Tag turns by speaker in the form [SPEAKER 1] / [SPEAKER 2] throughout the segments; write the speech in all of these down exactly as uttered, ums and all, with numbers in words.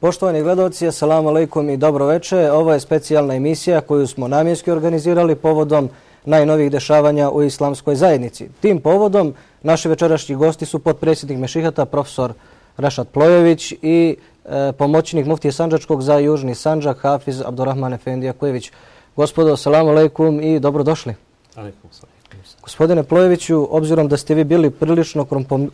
[SPEAKER 1] Poštovani gledalci, assalamu alaikum i dobro večer. Ovo je specijalna emisija koju smo namjenski organizirali povodom najnovijih dešavanja u islamskoj zajednici. Tim povodom naši večerašnji gosti su potpredsjednik Mešihata, profesor Rašad Plojević i e, pomoćnik muftije Sandžačkog za Južni Sandžak, Hafiz Abdurrahman Efendi Jakojević. Gospodo, assalamu alaikum i dobrodošli.
[SPEAKER 2] Alaikum salam.
[SPEAKER 1] Gospodine Plojeviću, obzirom da ste vi bili prilično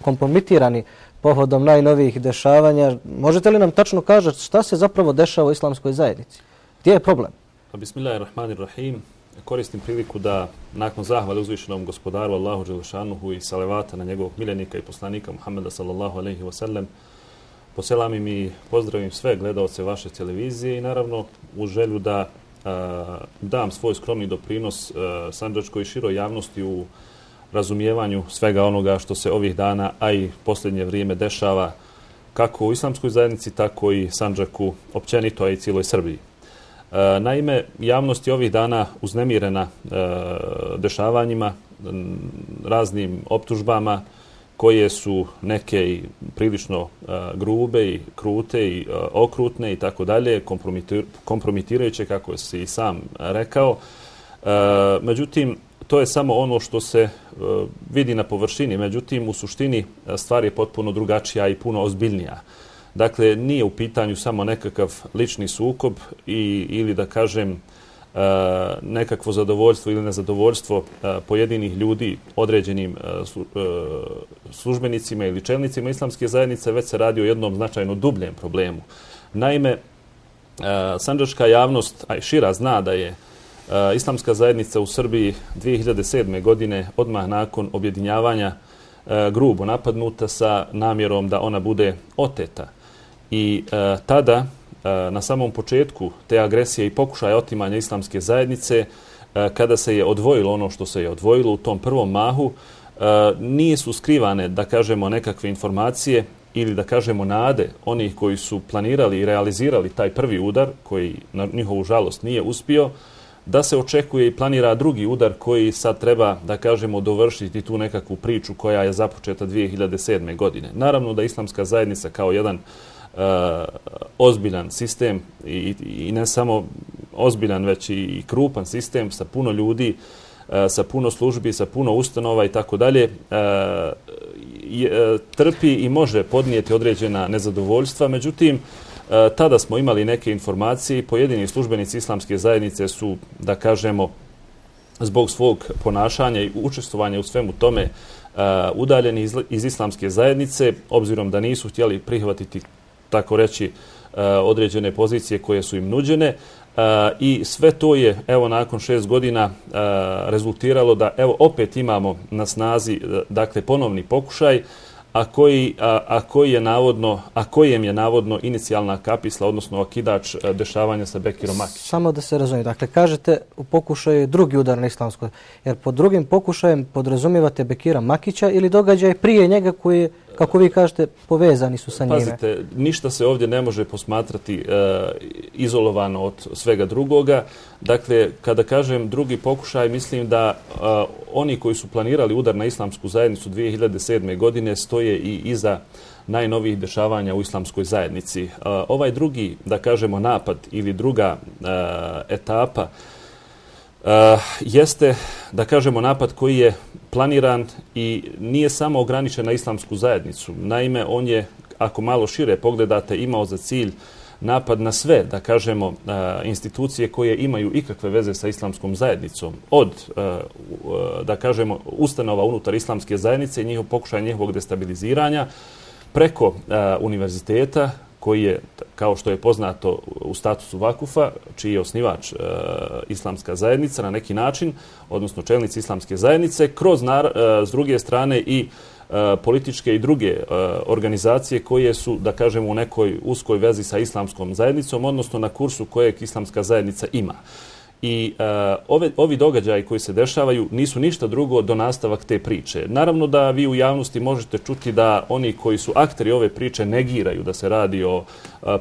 [SPEAKER 1] kompromitirani povodom najnovijih dešavanja, možete li nam tačno kažete šta se zapravo dešava u islamskoj zajednici? Gdje je problem?
[SPEAKER 2] Bismillahirrahmanirrahim. Koristim priliku da nakon zahvale uzvišenom gospodaru Allahu dželešanuhu i salavata na njegovog miljenika i poslanika Muhammeda sallallahu alejhi ve sellem poselamim i pozdravim sve gledaoce vaše televizije i naravno u želju da a, dam svoj skromni doprinos a, sandžačkoj i široj javnosti u razumijevanju svega onoga što se ovih dana, a i posljednje vrijeme dešava kako u islamskoj zajednici, tako i Sandžaku općenito, a i cijeloj Srbiji. E, naime, javnost je ovih dana uznemirena e, dešavanjima, raznim optužbama koje su neke i prilično e, grube i krute i e, okrutne i tako dalje, kompromitir, kompromitirajuće, kako si i sam rekao. E, međutim, to je samo ono što se uh, vidi na površini, međutim u suštini stvar je potpuno drugačija i puno ozbiljnija. Dakle, nije u pitanju samo nekakav lični sukob i, ili da kažem uh, nekakvo zadovoljstvo ili nezadovoljstvo uh, pojedinih ljudi određenim uh, slu, uh, službenicima ili čelnicima islamske zajednice, već se radi o jednom značajno dubljem problemu. Naime, uh, sandžačka javnost, a i šira, zna da je Uh, islamska zajednica u Srbiji dvije hiljade sedme. godine odmah nakon objedinjavanja uh, grubo napadnuta sa namjerom da ona bude oteta. I uh, tada, uh, na samom početku te agresije i pokušaja otimanja islamske zajednice, uh, kada se je odvojilo ono što se je odvojilo u tom prvom mahu, uh, nisu skrivane, da kažemo, nekakve informacije ili da kažemo nade onih koji su planirali i realizirali taj prvi udar, koji na njihovu žalost nije uspio, da se očekuje i planira drugi udar koji sad treba, da kažemo, dovršiti tu nekakvu priču koja je započeta dvije hiljade sedme. godine. Naravno da islamska zajednica kao jedan uh, ozbiljan sistem i, i ne samo ozbiljan, već i, i krupan sistem sa puno ljudi, uh, sa puno službi, sa puno ustanova i tako dalje, trpi i može podnijeti određena nezadovoljstva. Međutim, tada smo imali neke informacije i pojedini službenici islamske zajednice su, da kažemo, zbog svog ponašanja i učestvovanja u svemu tome udaljeni iz, iz islamske zajednice, obzirom da nisu htjeli prihvatiti, tako reći, određene pozicije koje su im nuđene. I sve to je, evo, nakon šest godina rezultiralo da, evo, opet imamo na snazi, dakle, ponovni pokušaj, a koji, a, a koji je navodno, a kojem je navodno inicijalna kapisla, odnosno okidač dešavanja sa Bekirom Makićem.
[SPEAKER 1] Samo da se razumije. Dakle, kažete u pokušaju drugi udar na islamskoj, jer pod drugim pokušajem podrazumijevate Bekira Makića ili događaj prije njega koji, kako vi kažete, povezani su sa njime?
[SPEAKER 2] Pazite, ništa se ovdje ne može posmatrati e, izolovano od svega drugoga. Dakle, kada kažem drugi pokušaj, mislim da e, oni koji su planirali udar na islamsku zajednicu dvije hiljade sedme. godine stoje i iza najnovijih dešavanja u islamskoj zajednici. E, ovaj drugi, da kažemo, napad ili druga e, etapa Uh, jeste, da kažemo, napad koji je planiran i nije samo ograničen na islamsku zajednicu. Naime, on je, ako malo šire pogledate, imao za cilj napad na sve, da kažemo, uh, institucije koje imaju ikakve veze sa islamskom zajednicom. Od, uh, uh, da kažemo, ustanova unutar islamske zajednice i njihov pokušaj njihovog destabiliziranja, preko uh, univerziteta, koji je, kao što je poznato, u statusu vakufa, čiji je osnivač e, islamska zajednica na neki način, odnosno čelnici islamske zajednice, kroz, nar, e, s druge strane, i e, političke i druge e, organizacije koje su, da kažemo, u nekoj uskoj vezi sa islamskom zajednicom, odnosno na kursu kojeg islamska zajednica ima. I uh, ove, ovi događaji koji se dešavaju nisu ništa drugo do nastavak te priče. Naravno da vi u javnosti možete čuti da oni koji su akteri ove priče negiraju da se radi o uh,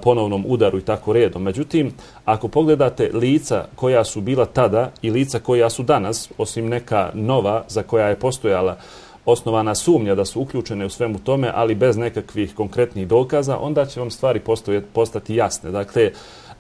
[SPEAKER 2] ponovnom udaru i tako redom. Međutim, ako pogledate lica koja su bila tada i lica koja su danas, osim neka nova za koja je postojala osnovana sumnja da su uključene u svemu tome, ali bez nekakvih konkretnih dokaza, onda će vam stvari postati jasne. Dakle,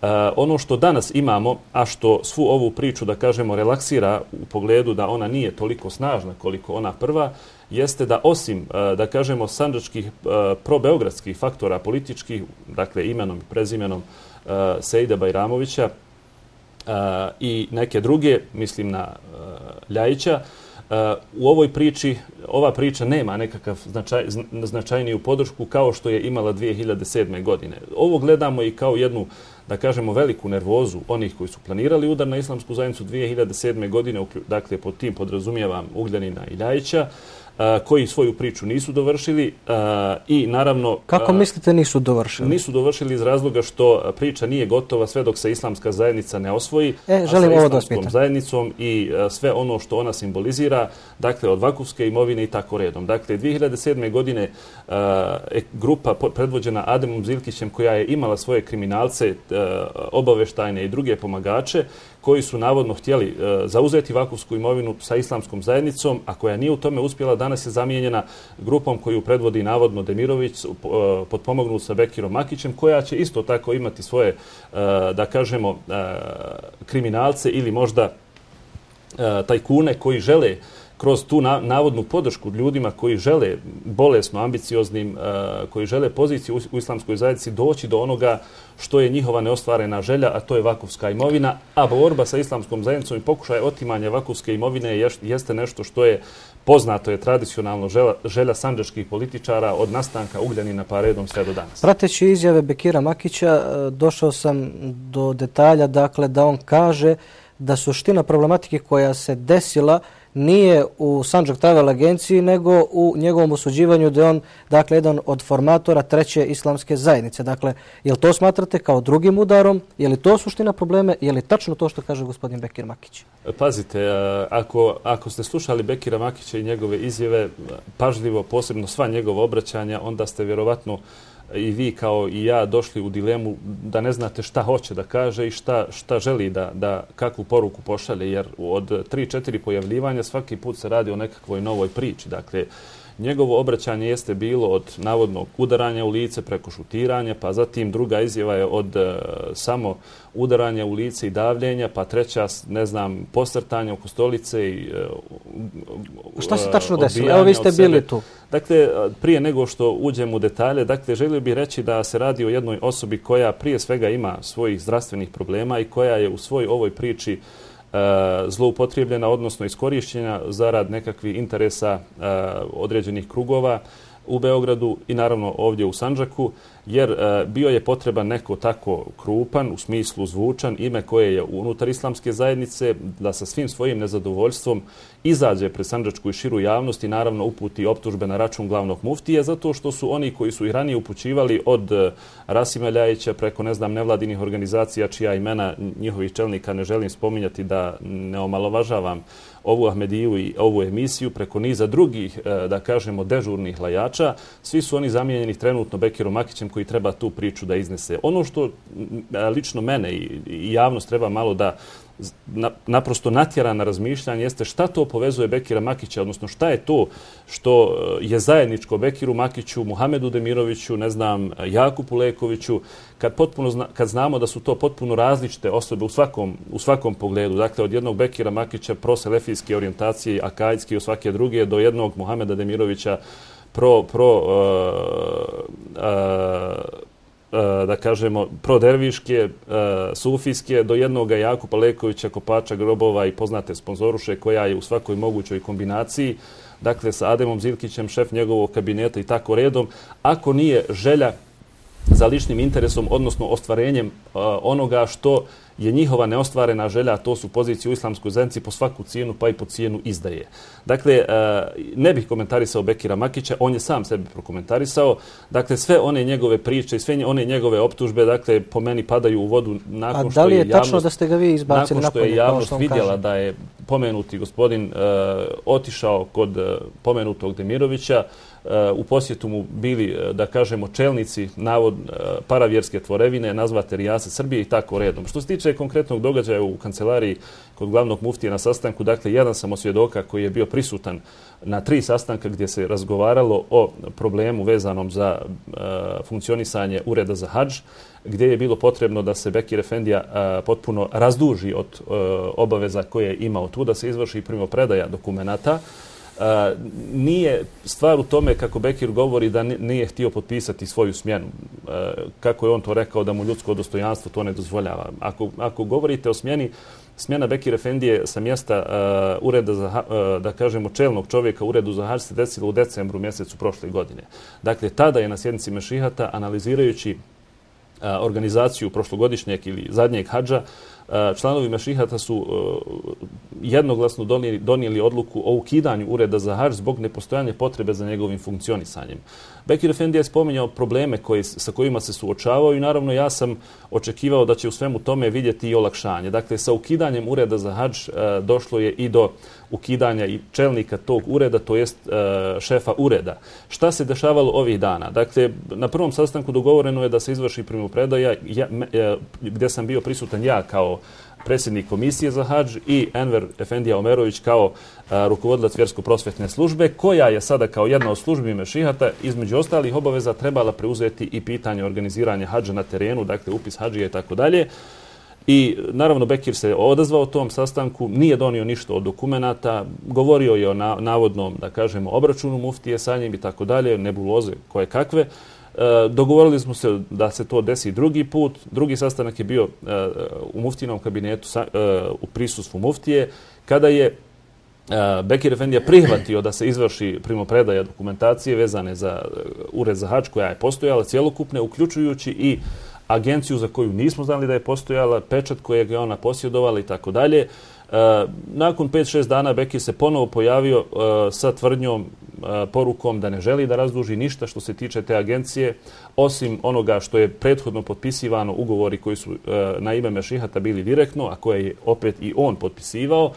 [SPEAKER 2] Uh, ono što danas imamo, a što svu ovu priču, da kažemo, relaksira u pogledu da ona nije toliko snažna koliko ona prva, jeste da osim, uh, da kažemo, sandžačkih uh, probeogradskih faktora političkih, dakle imenom i prezimenom uh, Sejida Bajramovića uh, i neke druge, mislim na uh, Ljajića, Uh, u ovoj priči, ova priča nema nekakav značaj, značajniju podršku kao što je imala dvije hiljade sedme. godine. Ovo gledamo i kao jednu, da kažemo, veliku nervozu onih koji su planirali udar na islamsku zajednicu dvije hiljade sedme. godine, dakle pod tim podrazumijevam Ugljanina i Ljajića, koji svoju priču nisu dovršili i naravno...
[SPEAKER 1] Kako mislite nisu dovršili?
[SPEAKER 2] Nisu dovršili iz razloga što priča nije gotova sve dok se islamska zajednica ne osvoji,
[SPEAKER 1] e, želim
[SPEAKER 2] a
[SPEAKER 1] sa
[SPEAKER 2] ovo
[SPEAKER 1] islamskom
[SPEAKER 2] zajednicom i sve ono što ona simbolizira, dakle od vakufske imovine i tako redom. Dakle, dvije hiljade sedme. godine grupa predvođena Ademom Zilkićem, koja je imala svoje kriminalce, obaveštajne i druge pomagače, koji su navodno htjeli uh, zauzeti vakufsku imovinu sa islamskom zajednicom, a koja nije u tome uspjela, danas je zamijenjena grupom koju predvodi navodno Demirović, uh, potpomognut sa Bekirom Makićem, koja će isto tako imati svoje, uh, da kažemo, uh, kriminalce ili možda uh, tajkune koji žele kroz tu na, navodnu podršku ljudima koji žele bolesno, ambicioznim, uh, koji žele poziciju u, u islamskoj zajednici doći do onoga što je njihova neostvarena želja, a to je vakufska imovina, a borba sa islamskom zajednicom i pokušaj otimanja vakufske imovine je, jeste nešto što je poznato, je tradicionalno želja, želja sandžačkih političara od nastanka Ugljanina pa redom sve do danas.
[SPEAKER 1] Prateći izjave Bekira Makića, došao sam do detalja, dakle, da on kaže da suština problematike koja se desila nije u Sandžak Travel agenciji, nego u njegovom osuđivanju da je on, dakle, jedan od formatora treće islamske zajednice. Dakle, je li to smatrate kao drugim udarom? Je li to suština probleme? Je li tačno to što kaže gospodin Bekir Makić?
[SPEAKER 2] Pazite, ako, ako ste slušali Bekira Makića i njegove izjave, pažljivo, posebno sva njegova obraćanja, onda ste vjerovatno i vi kao i ja došli u dilemu da ne znate šta hoće da kaže i šta, šta želi da, da kakvu poruku pošalje, jer od tri četiri pojavljivanja svaki put se radi o nekakvoj novoj priči. Dakle, njegovo obraćanje jeste bilo od navodnog udaranja u lice preko šutiranja, pa zatim druga izjava je od uh, samo udaranja u lice i davljenja, pa treća, ne znam, posrtanja oko stolice i uh,
[SPEAKER 1] Šta se tačno desilo? Evo, vi ste bili tu.
[SPEAKER 2] Dakle, prije nego što uđem u detalje, dakle, želio bih reći da se radi o jednoj osobi koja prije svega ima svojih zdravstvenih problema i koja je u svoj ovoj priči zloupotrijebljena, odnosno iskorišćena zarad nekakvih interesa uh, određenih krugova u Beogradu i naravno ovdje u Sandžaku, jer uh, bio je potreban neko tako krupan, u smislu zvučan, ime koje je unutar islamske zajednice, da sa svim svojim nezadovoljstvom izađe pred sandžačku i širu javnost i naravno uputi optužbe na račun glavnog muftije, zato što su oni koji su i ranije upućivali od uh, Rasima Ljajića preko, ne znam, nevladinih organizacija, čija imena njihovih čelnika ne želim spominjati da ne omalovažavam ovu Ahmediju i ovu emisiju, preko niza drugih, da kažemo, dežurnih lajača. Svi su oni zamijenjeni trenutno Bekirom Makićem koji treba tu priču da iznese. Ono što lično mene i javnost treba malo da naprosto natjera na razmišljanje jeste šta to povezuje Bekira Makića, odnosno šta je to što je zajedničko Bekiru Makiću, Muhamedu Demiroviću, ne znam, Jakupu Lekoviću, kad, potpuno zna, kad znamo da su to potpuno različite osobe u svakom, u svakom pogledu. Dakle, od jednog Bekira Makića proselefijske orijentacije, akajdske i u svake druge, do jednog Muhameda Demirovića pro, pro uh, uh, da kažemo, proderviške, sufijske, do jednoga Jakupa Lekovića, kopača grobova i poznate sponzoruše koja je u svakoj mogućoj kombinaciji, dakle sa Ademom Zilkićem, šef njegovog kabineta i tako redom, ako nije želja za ličnim interesom, odnosno ostvarenjem onoga što je njihova neostvarena želja, a to su pozicije u islamskoj zajednici po svaku cijenu, pa i po cijenu izdaje. Dakle, ne bih komentarisao Bekira Makića, on je sam sebi prokomentarisao. Dakle, sve one njegove priče i sve one njegove optužbe, dakle, po meni padaju u vodu nakon što je javnost... A da li je tačno
[SPEAKER 1] da ste ga vi izbacili
[SPEAKER 2] nakon što je javnost vidjela da je pomenuti gospodin uh, otišao kod uh, pomenutog Demirovića, uh, u posjetu mu bili, uh, da kažemo, čelnici navod uh, paravjerske tvorevine, nazvate Rijase Srbije i tako redom. Što se tiče tiče konkretnog događaja u kancelariji kod glavnog muftije na sastanku, dakle, jedan sam od svjedoka koji je bio prisutan na tri sastanka gdje se razgovaralo o problemu vezanom za uh, funkcionisanje ureda za hadž, gdje je bilo potrebno da se Bekir Efendija uh, potpuno razduži od uh, obaveza koje je imao tu, da se izvrši primopredaja dokumenata. Uh, nije stvar u tome, kako Bekir govori, da nije htio potpisati svoju smjenu. Uh, kako je on to rekao, da mu ljudsko dostojanstvo to ne dozvoljava. Ako, ako govorite o smjeni, smjena Bekir Efendije sa mjesta uh, ureda za, uh, da kažemo, čelnog čovjeka u uredu za hadž se desilo u decembru mjesecu prošle godine. Dakle, tada je na sjednici Mešihata, analizirajući uh, organizaciju prošlogodišnjeg ili zadnjeg hadža, članovi Mešihata su jednoglasno donijeli, donijeli odluku o ukidanju ureda za hadž zbog nepostojanja potrebe za njegovim funkcionisanjem. Bekir Efendija je spominjao probleme koji, sa kojima se suočavao i naravno ja sam očekivao da će u svemu tome vidjeti i olakšanje. Dakle, sa ukidanjem ureda za hadž došlo je i do ukidanja i čelnika tog ureda, to jest šefa ureda. Šta se dešavalo ovih dana? Dakle, na prvom sastanku dogovoreno je da se izvrši primopredaja, ja, gdje sam bio prisutan ja kao predsjednik komisije za hadž i Enver Efendija Omerović kao a, rukovodilac vjersko-prosvjetne službe, koja je sada kao jedna od službi Mešihata između ostalih obaveza trebala preuzeti i pitanje organiziranja hadža na terenu, dakle upis hadžija i tako dalje. I naravno Bekir se odazvao tom sastanku, nije donio ništa od dokumenata, govorio je o na, navodnom, da kažemo, obračunu muftije sa njim i tako dalje, nebuloze koje kakve. E, dogovorili smo se da se to desi drugi put. Drugi sastanak je bio e, u muftijinom kabinetu sa, e, u prisustvu muftije, kada je e, Bekir Efendija prihvatio da se izvrši primopredaja dokumentacije vezane za uh, ured za hadž koja je postojala cjelokupne, uključujući i agenciju za koju nismo znali da je postojala, pečat kojeg je ona posjedovala i tako dalje. Nakon pet šest dana Bekir se ponovo pojavio uh, sa tvrdnjom, uh, porukom da ne želi da razduži ništa što se tiče te agencije, osim onoga što je prethodno potpisivano, ugovori koji su uh, na ime Mešihata bili direktno, a koje je opet i on potpisivao. Uh,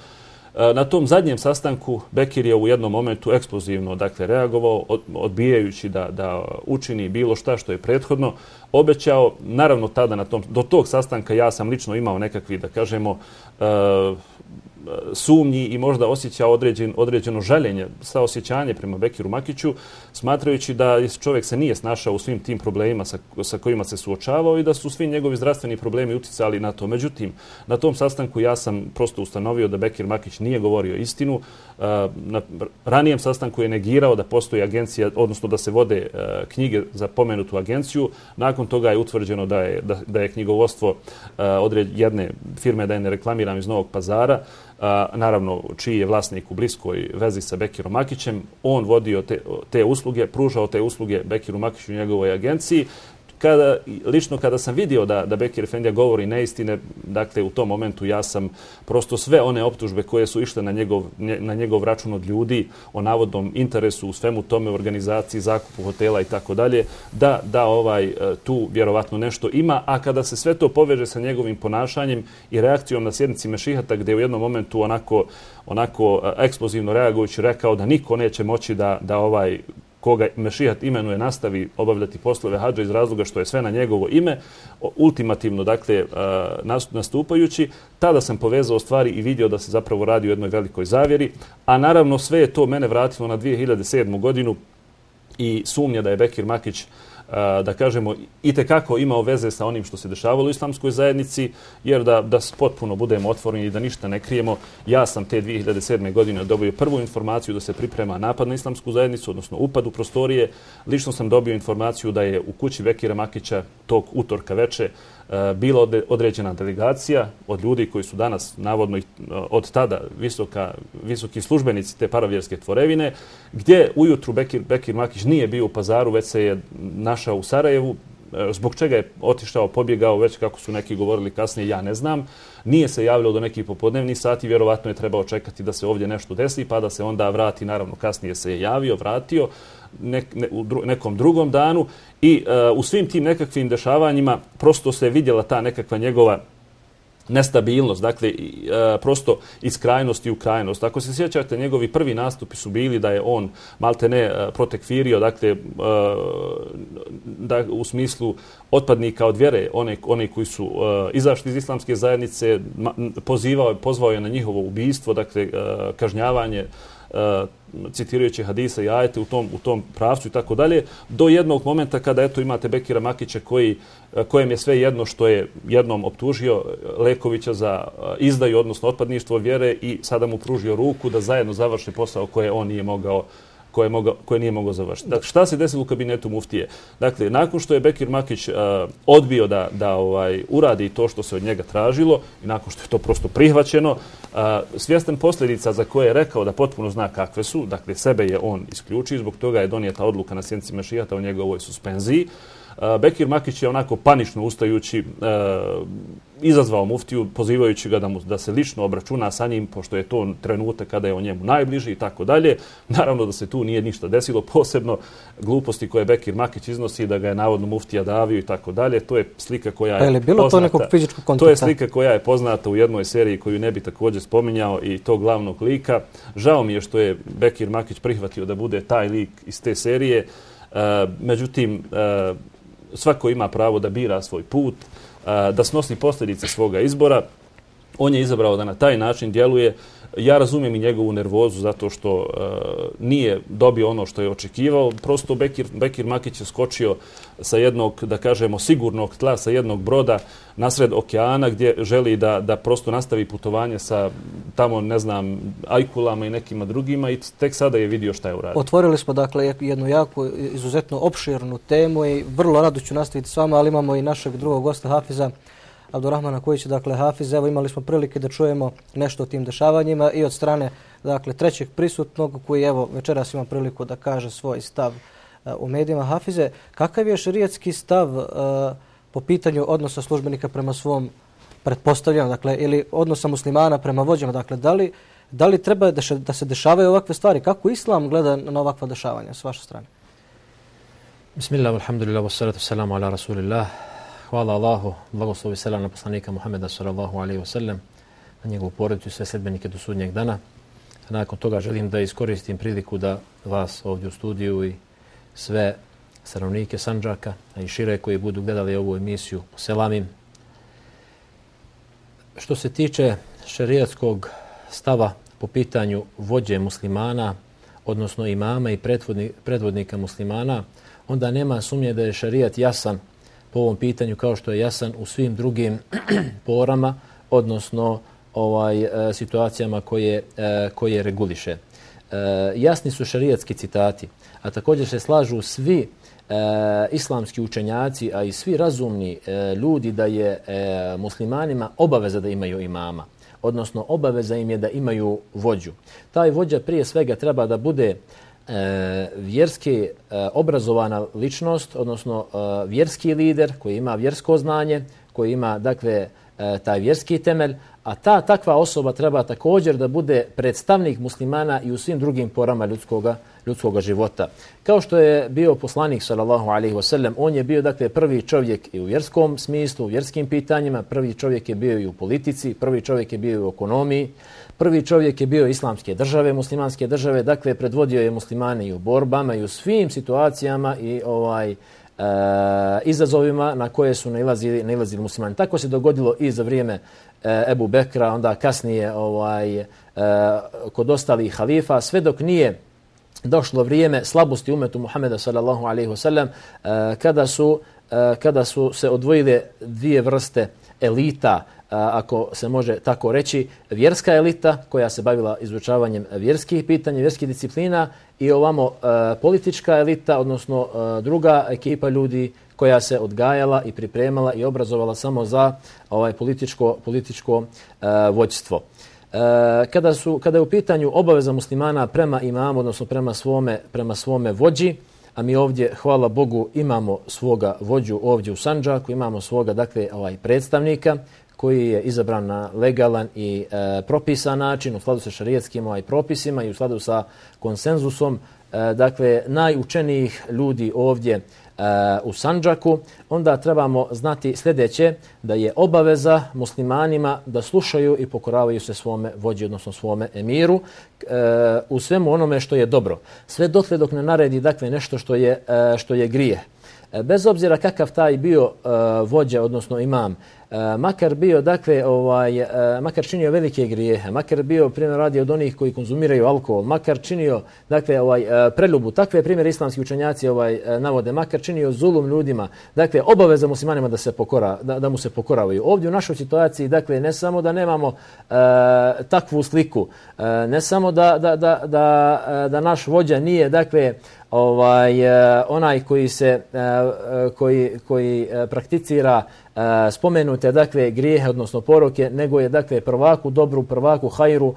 [SPEAKER 2] na tom zadnjem sastanku Bekir je u jednom momentu eksplozivno, dakle, reagovao, od, odbijajući da, da učini bilo šta što je prethodno obećao. Naravno, tada na tom, do tog sastanka ja sam lično imao nekakvi, da kažemo, uh, sumnji i možda osjećao određen, određeno žaljenje, saosjećanje prema Bekiru Makiću, smatrajući da čovjek se nije snašao u svim tim problemima sa, sa kojima se suočavao i da su svi njegovi zdravstveni problemi uticali na to. Međutim, na tom sastanku ja sam prosto ustanovio da Bekir Makić nije govorio istinu. Na ranijem sastanku je negirao da postoji agencija, odnosno da se vode knjige za pomenutu agenciju. Nakon toga je utvrđeno da je, da, da je knjigovodstvo odred, jedne firme, da je ne reklamiram, iz Novog Pazara, a, naravno čiji je vlasnik u bliskoj vezi sa Bekirom Makićem. On vodio te, te usluge, pružao te usluge Bekiru Makiću i njegovoj agenciji. Kada, lično kada sam vidio da, da Bekir Efendija govori neistine, dakle u tom momentu ja sam prosto sve one optužbe koje su išle na njegov, na njegov račun od ljudi o navodnom interesu u svemu tome, organizaciji, zakupu hotela i tako dalje, da, da ovaj, tu vjerovatno nešto ima. A kada se sve to poveže sa njegovim ponašanjem i reakcijom na sjednici Mešihata, gdje je u jednom momentu onako, onako eksplozivno reagujući rekao da niko neće moći da, da ovaj koga Mešihat imenuje nastavi obavljati poslove hadža iz razloga što je sve na njegovo ime, ultimativno, dakle, nastupajući, tada sam povezao stvari i vidio da se zapravo radi o jednoj velikoj zavjeri, a naravno sve je to mene vratilo na dvije hiljade sedmu. godinu i sumnja da je Bekir Makić, da kažemo, itekako imao veze sa onim što se dešavalo u islamskoj zajednici, jer da, da potpuno budemo otvoreni i da ništa ne krijemo, ja sam te dvije hiljade sedme. godine dobio prvu informaciju da se priprema napad na islamsku zajednicu, odnosno upad u prostorije. Lično sam dobio informaciju da je u kući Bekira Makića tog utorka veče bila određena delegacija od ljudi koji su danas navodno od tada visoka, visoki službenici te paravjerske tvorevine, gdje ujutru Bekir, Bekir Makić nije bio u Pazaru, već se je našao u Sarajevu. Zbog čega je otišao, pobjegao, već kako su neki govorili kasnije, ja ne znam. Nije se javljao do nekih popodnevnih sati, vjerovatno je trebao čekati da se ovdje nešto desi, pa da se onda vrati. Naravno, kasnije se je javio, vratio nek, ne, u dru, nekom drugom danu i uh, u svim tim nekakvim dešavanjima prosto se vidjela ta nekakva njegova nestabilnost, dakle e, prosto iz krajnosti u krajnost. Ako se sjećate, njegovi prvi nastupi su bili da je on maltene e, protekfirio, dakle e, da, u smislu otpadnika od vjere, one, one koji su e, izašli iz islamske zajednice, ma, pozivao, pozvao je na njihovo ubijstvo, dakle e, kažnjavanje, Uh, citirajući hadisa i ajete u tom, u tom pravcu i tako dalje, do jednog momenta kada eto imate Bekira Makića koji, kojem je sve jedno što je jednom optužio Lekovića za izdaju, odnosno otpadništvo vjere, i sada mu pružio ruku da zajedno završi posao koje on nije mogao koje, mogao, koje nije mogao završiti. Dakle, šta se desilo u kabinetu muftije? Dakle, nakon što je Bekir Makić uh, odbio da, da ovaj, uradi to što se od njega tražilo i nakon što je to prosto prihvaćeno, uh, svjestan posljedica za koje je rekao da potpuno zna kakve su, dakle, sebe je on isključio, zbog toga je donijeta odluka na sjednici Mešijata o njegovoj suspenziji. Uh, Bekir Makić je onako panično ustajući uh, izazvao muftiju, pozivajući ga da, mu, da se lično obračuna sa njim, pošto je to trenutak kada je on njemu najbliži i tako dalje. Naravno da se tu nije ništa desilo, posebno gluposti koje Bekir Makić iznosi, da ga je navodno muftija davio i tako dalje. To je slika koja je,
[SPEAKER 1] je bilo
[SPEAKER 2] poznata.
[SPEAKER 1] To nekog fizičkog kontakta?
[SPEAKER 2] To je slika koja je poznata u jednoj seriji koju ne bi također spominjao i tog glavnog lika. Žao mi je što je Bekir Makić prihvatio da bude taj lik iz te serije. Uh, međutim, uh, svako ima pravo da bira svoj put, da snosi posljedice svoga izbora. On je izabrao da na taj način djeluje. Ja razumijem i njegovu nervozu zato što uh, nije dobio ono što je očekivao. Prosto Bekir, Bekir Makić je skočio sa jednog, da kažemo, sigurnog tla, sa jednog broda nasred okeana gdje želi da, da prosto nastavi putovanje sa tamo, ne znam, ajkulama i nekima drugima, i tek sada je vidio šta je uradio.
[SPEAKER 1] Otvorili smo dakle jednu jako, izuzetno opširnu temu i vrlo rado ću nastaviti s vama, ali imamo i našeg drugog gosta Hafiza Abdurrahmana Kojića, dakle Hafiz. Evo, imali smo prilike da čujemo nešto o tim dešavanjima i od strane dakle trećeg prisutnog koji evo večeras ima priliku da kaže svoj stav uh, u medijima. Hafize, kakav je šerijatski stav uh, po pitanju odnosa službenika prema svom pretpostavljanju, dakle, ili odnosa muslimana prema vođama, dakle, da li, da li treba da, še, da se dešavaju ovakve stvari? Kako Islam gleda na ovakva dešavanja s vaše strane?
[SPEAKER 3] Bismillah, alhamdulillah, wassalatu wassalamu ala rasulillah. Hvala Allahu, blagoslovi selam na poslanika Muhammeda sallallahu alejhi ve sellem, na njegovu porodicu i sve sledbenike do sudnjeg dana. A nakon toga želim da iskoristim priliku da vas ovdje u studiju i sve stanovnike Sandžaka, a i šire koji budu gledali ovu emisiju poselamim. Što se tiče šerijatskog stava po pitanju vođe muslimana, odnosno imama i predvodnika muslimana, onda nema sumnje da je šerijat jasan po ovom pitanju kao što je jasan u svim drugim porama, odnosno ovaj, situacijama koje, koje reguliše. Jasni su šerijatski citati, a također se slažu svi e, islamski učenjaci, a i svi razumni e, ljudi da je e, muslimanima obaveza da imaju imama, odnosno obaveza im je da imaju vođu. Taj vođa prije svega treba da bude E, vjerski e, obrazovana ličnost, odnosno e, vjerski lider koji ima vjersko znanje, koji ima dakle e, taj vjerski temelj, a ta takva osoba treba također da bude predstavnik muslimana i u svim drugim porama ljudskoga, ljudskoga života. Kao što je bio poslanik sallallahu alejhi ve sellem, on je bio dakle prvi čovjek i u vjerskom smislu, u vjerskim pitanjima, prvi čovjek je bio i u politici, prvi čovjek je bio i u ekonomiji, prvi čovjek je bio islamske države, muslimanske države, dakle predvodio je muslimane i u borbama i u svim situacijama i ovaj e, izazovima na koje su nailazili, nailazili muslimani. Tako se dogodilo i za vrijeme e, Ebu Bekra, onda kasnije ovaj, e, kod ostalih halifa, sve dok nije došlo vrijeme slabosti umetu Muhameda sallallahu alejhi ve sellem, e, kada su e, kada su se odvojile dvije vrste elita, ako se može tako reći, vjerska elita koja se bavila izučavanjem vjerskih pitanja, vjerskih disciplina, i ovamo e, politička elita, odnosno e, druga ekipa ljudi koja se odgajala i pripremala i obrazovala samo za ovaj političko, političko e, vođstvo. E, kada, su, kada je u pitanju obaveza muslimana prema imamu, odnosno prema svome, prema svome vođi, a mi ovdje, hvala Bogu, imamo svoga vođu ovdje u Sandžaku, imamo svoga dakle ovaj predstavnika koji je izabran na legalan i e, propisan način u skladu sa šarijatskim ovaj propisima i u skladu sa konsenzusom dakle, najučenijih ljudi ovdje u Sandžaku, onda trebamo znati sljedeće, da je obaveza muslimanima da slušaju i pokoravaju se svome vođi, odnosno svome emiru u svemu onome što je dobro. Sve dotle dok ne naredi, dakle, nešto što je, što je grijeh. Bez obzira kakav taj bio vođa, odnosno imam, makar bio, dakle, ovaj, makar činio velike grijehe, makar bio, primjer radi, od onih koji konzumiraju alkohol, makar činio, dakle, ovaj, preljubu, takve primjere islamski učenjaci ovaj, navode, makar činio zulum ljudima, dakle, obaveza muslimanima da se pokora, da, da mu se pokoravaju. Ovdje u našoj situaciji, dakle, ne samo da nemamo uh, takvu sliku, uh, ne samo da, da, da, da, da naš vođa nije, dakle, ovaj onaj koji se koji koji prakticira spomenute, dakle, grijehe, odnosno poroke, nego je, dakle, prvaku dobru, prvaku hajru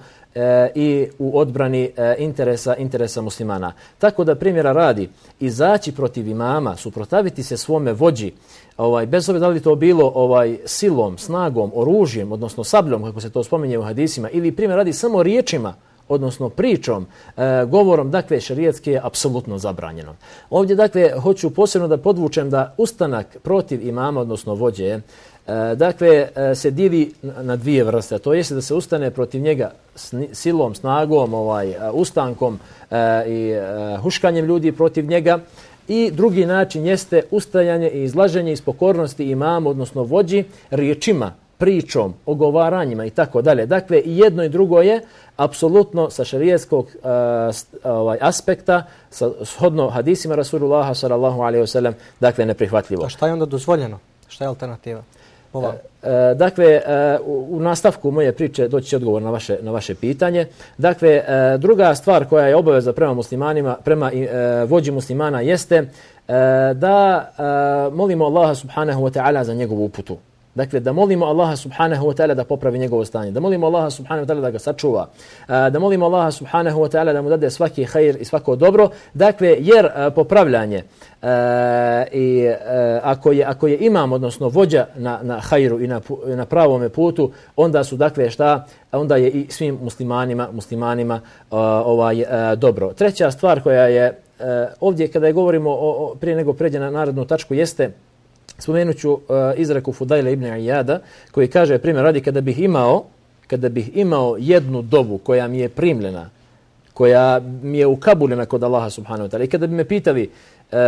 [SPEAKER 3] i u odbrani interesa interesa muslimana. Tako da, primjera radi, izaći protiv imama, suprotstaviti se svome vođi, ovaj, bez obzira da li to bilo ovaj, silom, snagom, oružjem, odnosno sabljom, kako se to spominje u hadisima, ili primjer radi samo riječima, odnosno pričom, e, govorom, dakle, šerijatski je apsolutno zabranjeno. Ovdje, dakle, hoću posebno da podvučem da ustanak protiv imama, odnosno vođe, e, dakle, e, se dili na dvije vrste. To jeste da se ustane protiv njega sni, silom, snagom, ovaj, ustankom e, i e, huškanjem ljudi protiv njega. I drugi način jeste ustajanje i izlaženje iz pokornosti imama, odnosno vođi, riječima, pričom, ogovaranjima i tako dalje. Dakle, i jedno i drugo je apsolutno sa šerijatskog uh, ovaj, aspekta, sa shodno hadisima Rasulullaha sallallahu alejhi ve sellem, dakle, neprihvatljivo.
[SPEAKER 1] A šta je onda dozvoljeno? Šta je alternativa? Uh, uh,
[SPEAKER 3] dakle, uh, u, u nastavku moje priče doći će odgovor na vaše, na vaše pitanje. Dakle, uh, druga stvar koja je obaveza prema muslimanima, prema uh, vođi muslimana jeste uh, da uh, molimo Allaha subhanahu wa ta'ala za njegovu uputu. Dakle, da molimo Allaha subhanahu wa ta'ala da popravi njegovo stanje, da molimo Allaha subhanahu wa ta'ala da ga sačuva, da molimo Allaha subhanahu wa ta'ala da mu dade svaki hajr i svako dobro. Dakle, jer popravljanje i ako je, ako je imam, odnosno vođa na, na hajru i na, na pravome putu, onda su, dakle, šta? Onda je i svim muslimanima, muslimanima ovaj, dobro. Treća stvar koja je ovdje, kada je govorimo o, o, prije nego pređe na narednu tačku, jeste, spomenut ću uh, izreku Fudajla ibn Iyada, koji kaže, primjer radi, kada bih imao, kada bih imao jednu dovu koja mi je primljena, koja mi je ukabulena kod Allaha subhanahu wa ta'ala, i kada bi me pitali uh,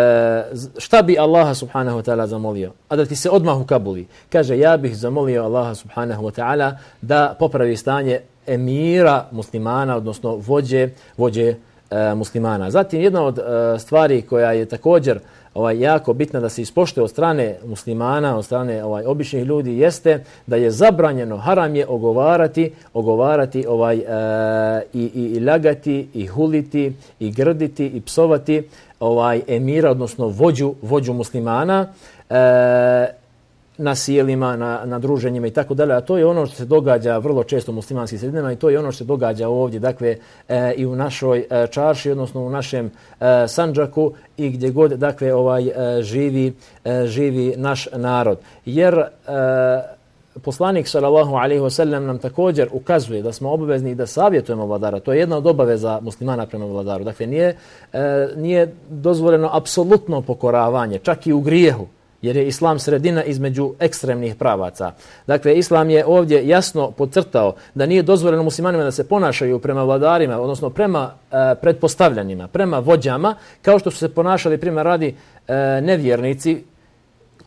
[SPEAKER 3] šta bi Allaha subhanahu wa ta'ala zamolio, a da ti se odmah ukabuli, kaže, ja bih zamolio Allaha subhanahu wa ta'ala da popravi stanje emira muslimana, odnosno vođe, vođe uh, muslimana. Zatim, jedna od uh, stvari koja je također ovaj, jako bitna da se ispoštuje od strane muslimana, od strane ovaj, običnih ljudi, jeste da je zabranjeno, haram je ogovarati, ogovarati ovaj, e, i, i, i lagati, i huliti, i grditi, i psovati ovaj, emira, odnosno vođu, vođu muslimana, e, na sjelima, na, na druženjima i tako dalje. A to je ono što se događa vrlo često u muslimanskim sredinama i to je ono što se događa ovdje, dakle, e, i u našoj e, čarši, odnosno u našem e, Sandžaku i gdje god, dakle, ovaj, e, živi, e, živi naš narod. Jer e, poslanik sallallahu alejhi ve sellem nam također ukazuje da smo obavezni da savjetujemo vladara. To je jedna od obaveza muslimana prema vladaru. Dakle, nije, e, nije dozvoljeno apsolutno pokoravanje, čak i u grijehu, jer je islam sredina između ekstremnih pravaca. Dakle, islam je ovdje jasno podcrtao da nije dozvoljeno muslimanima da se ponašaju prema vladarima, odnosno prema e, pretpostavljanima, prema vođama, kao što su se ponašali, primjer radi, e, nevjernici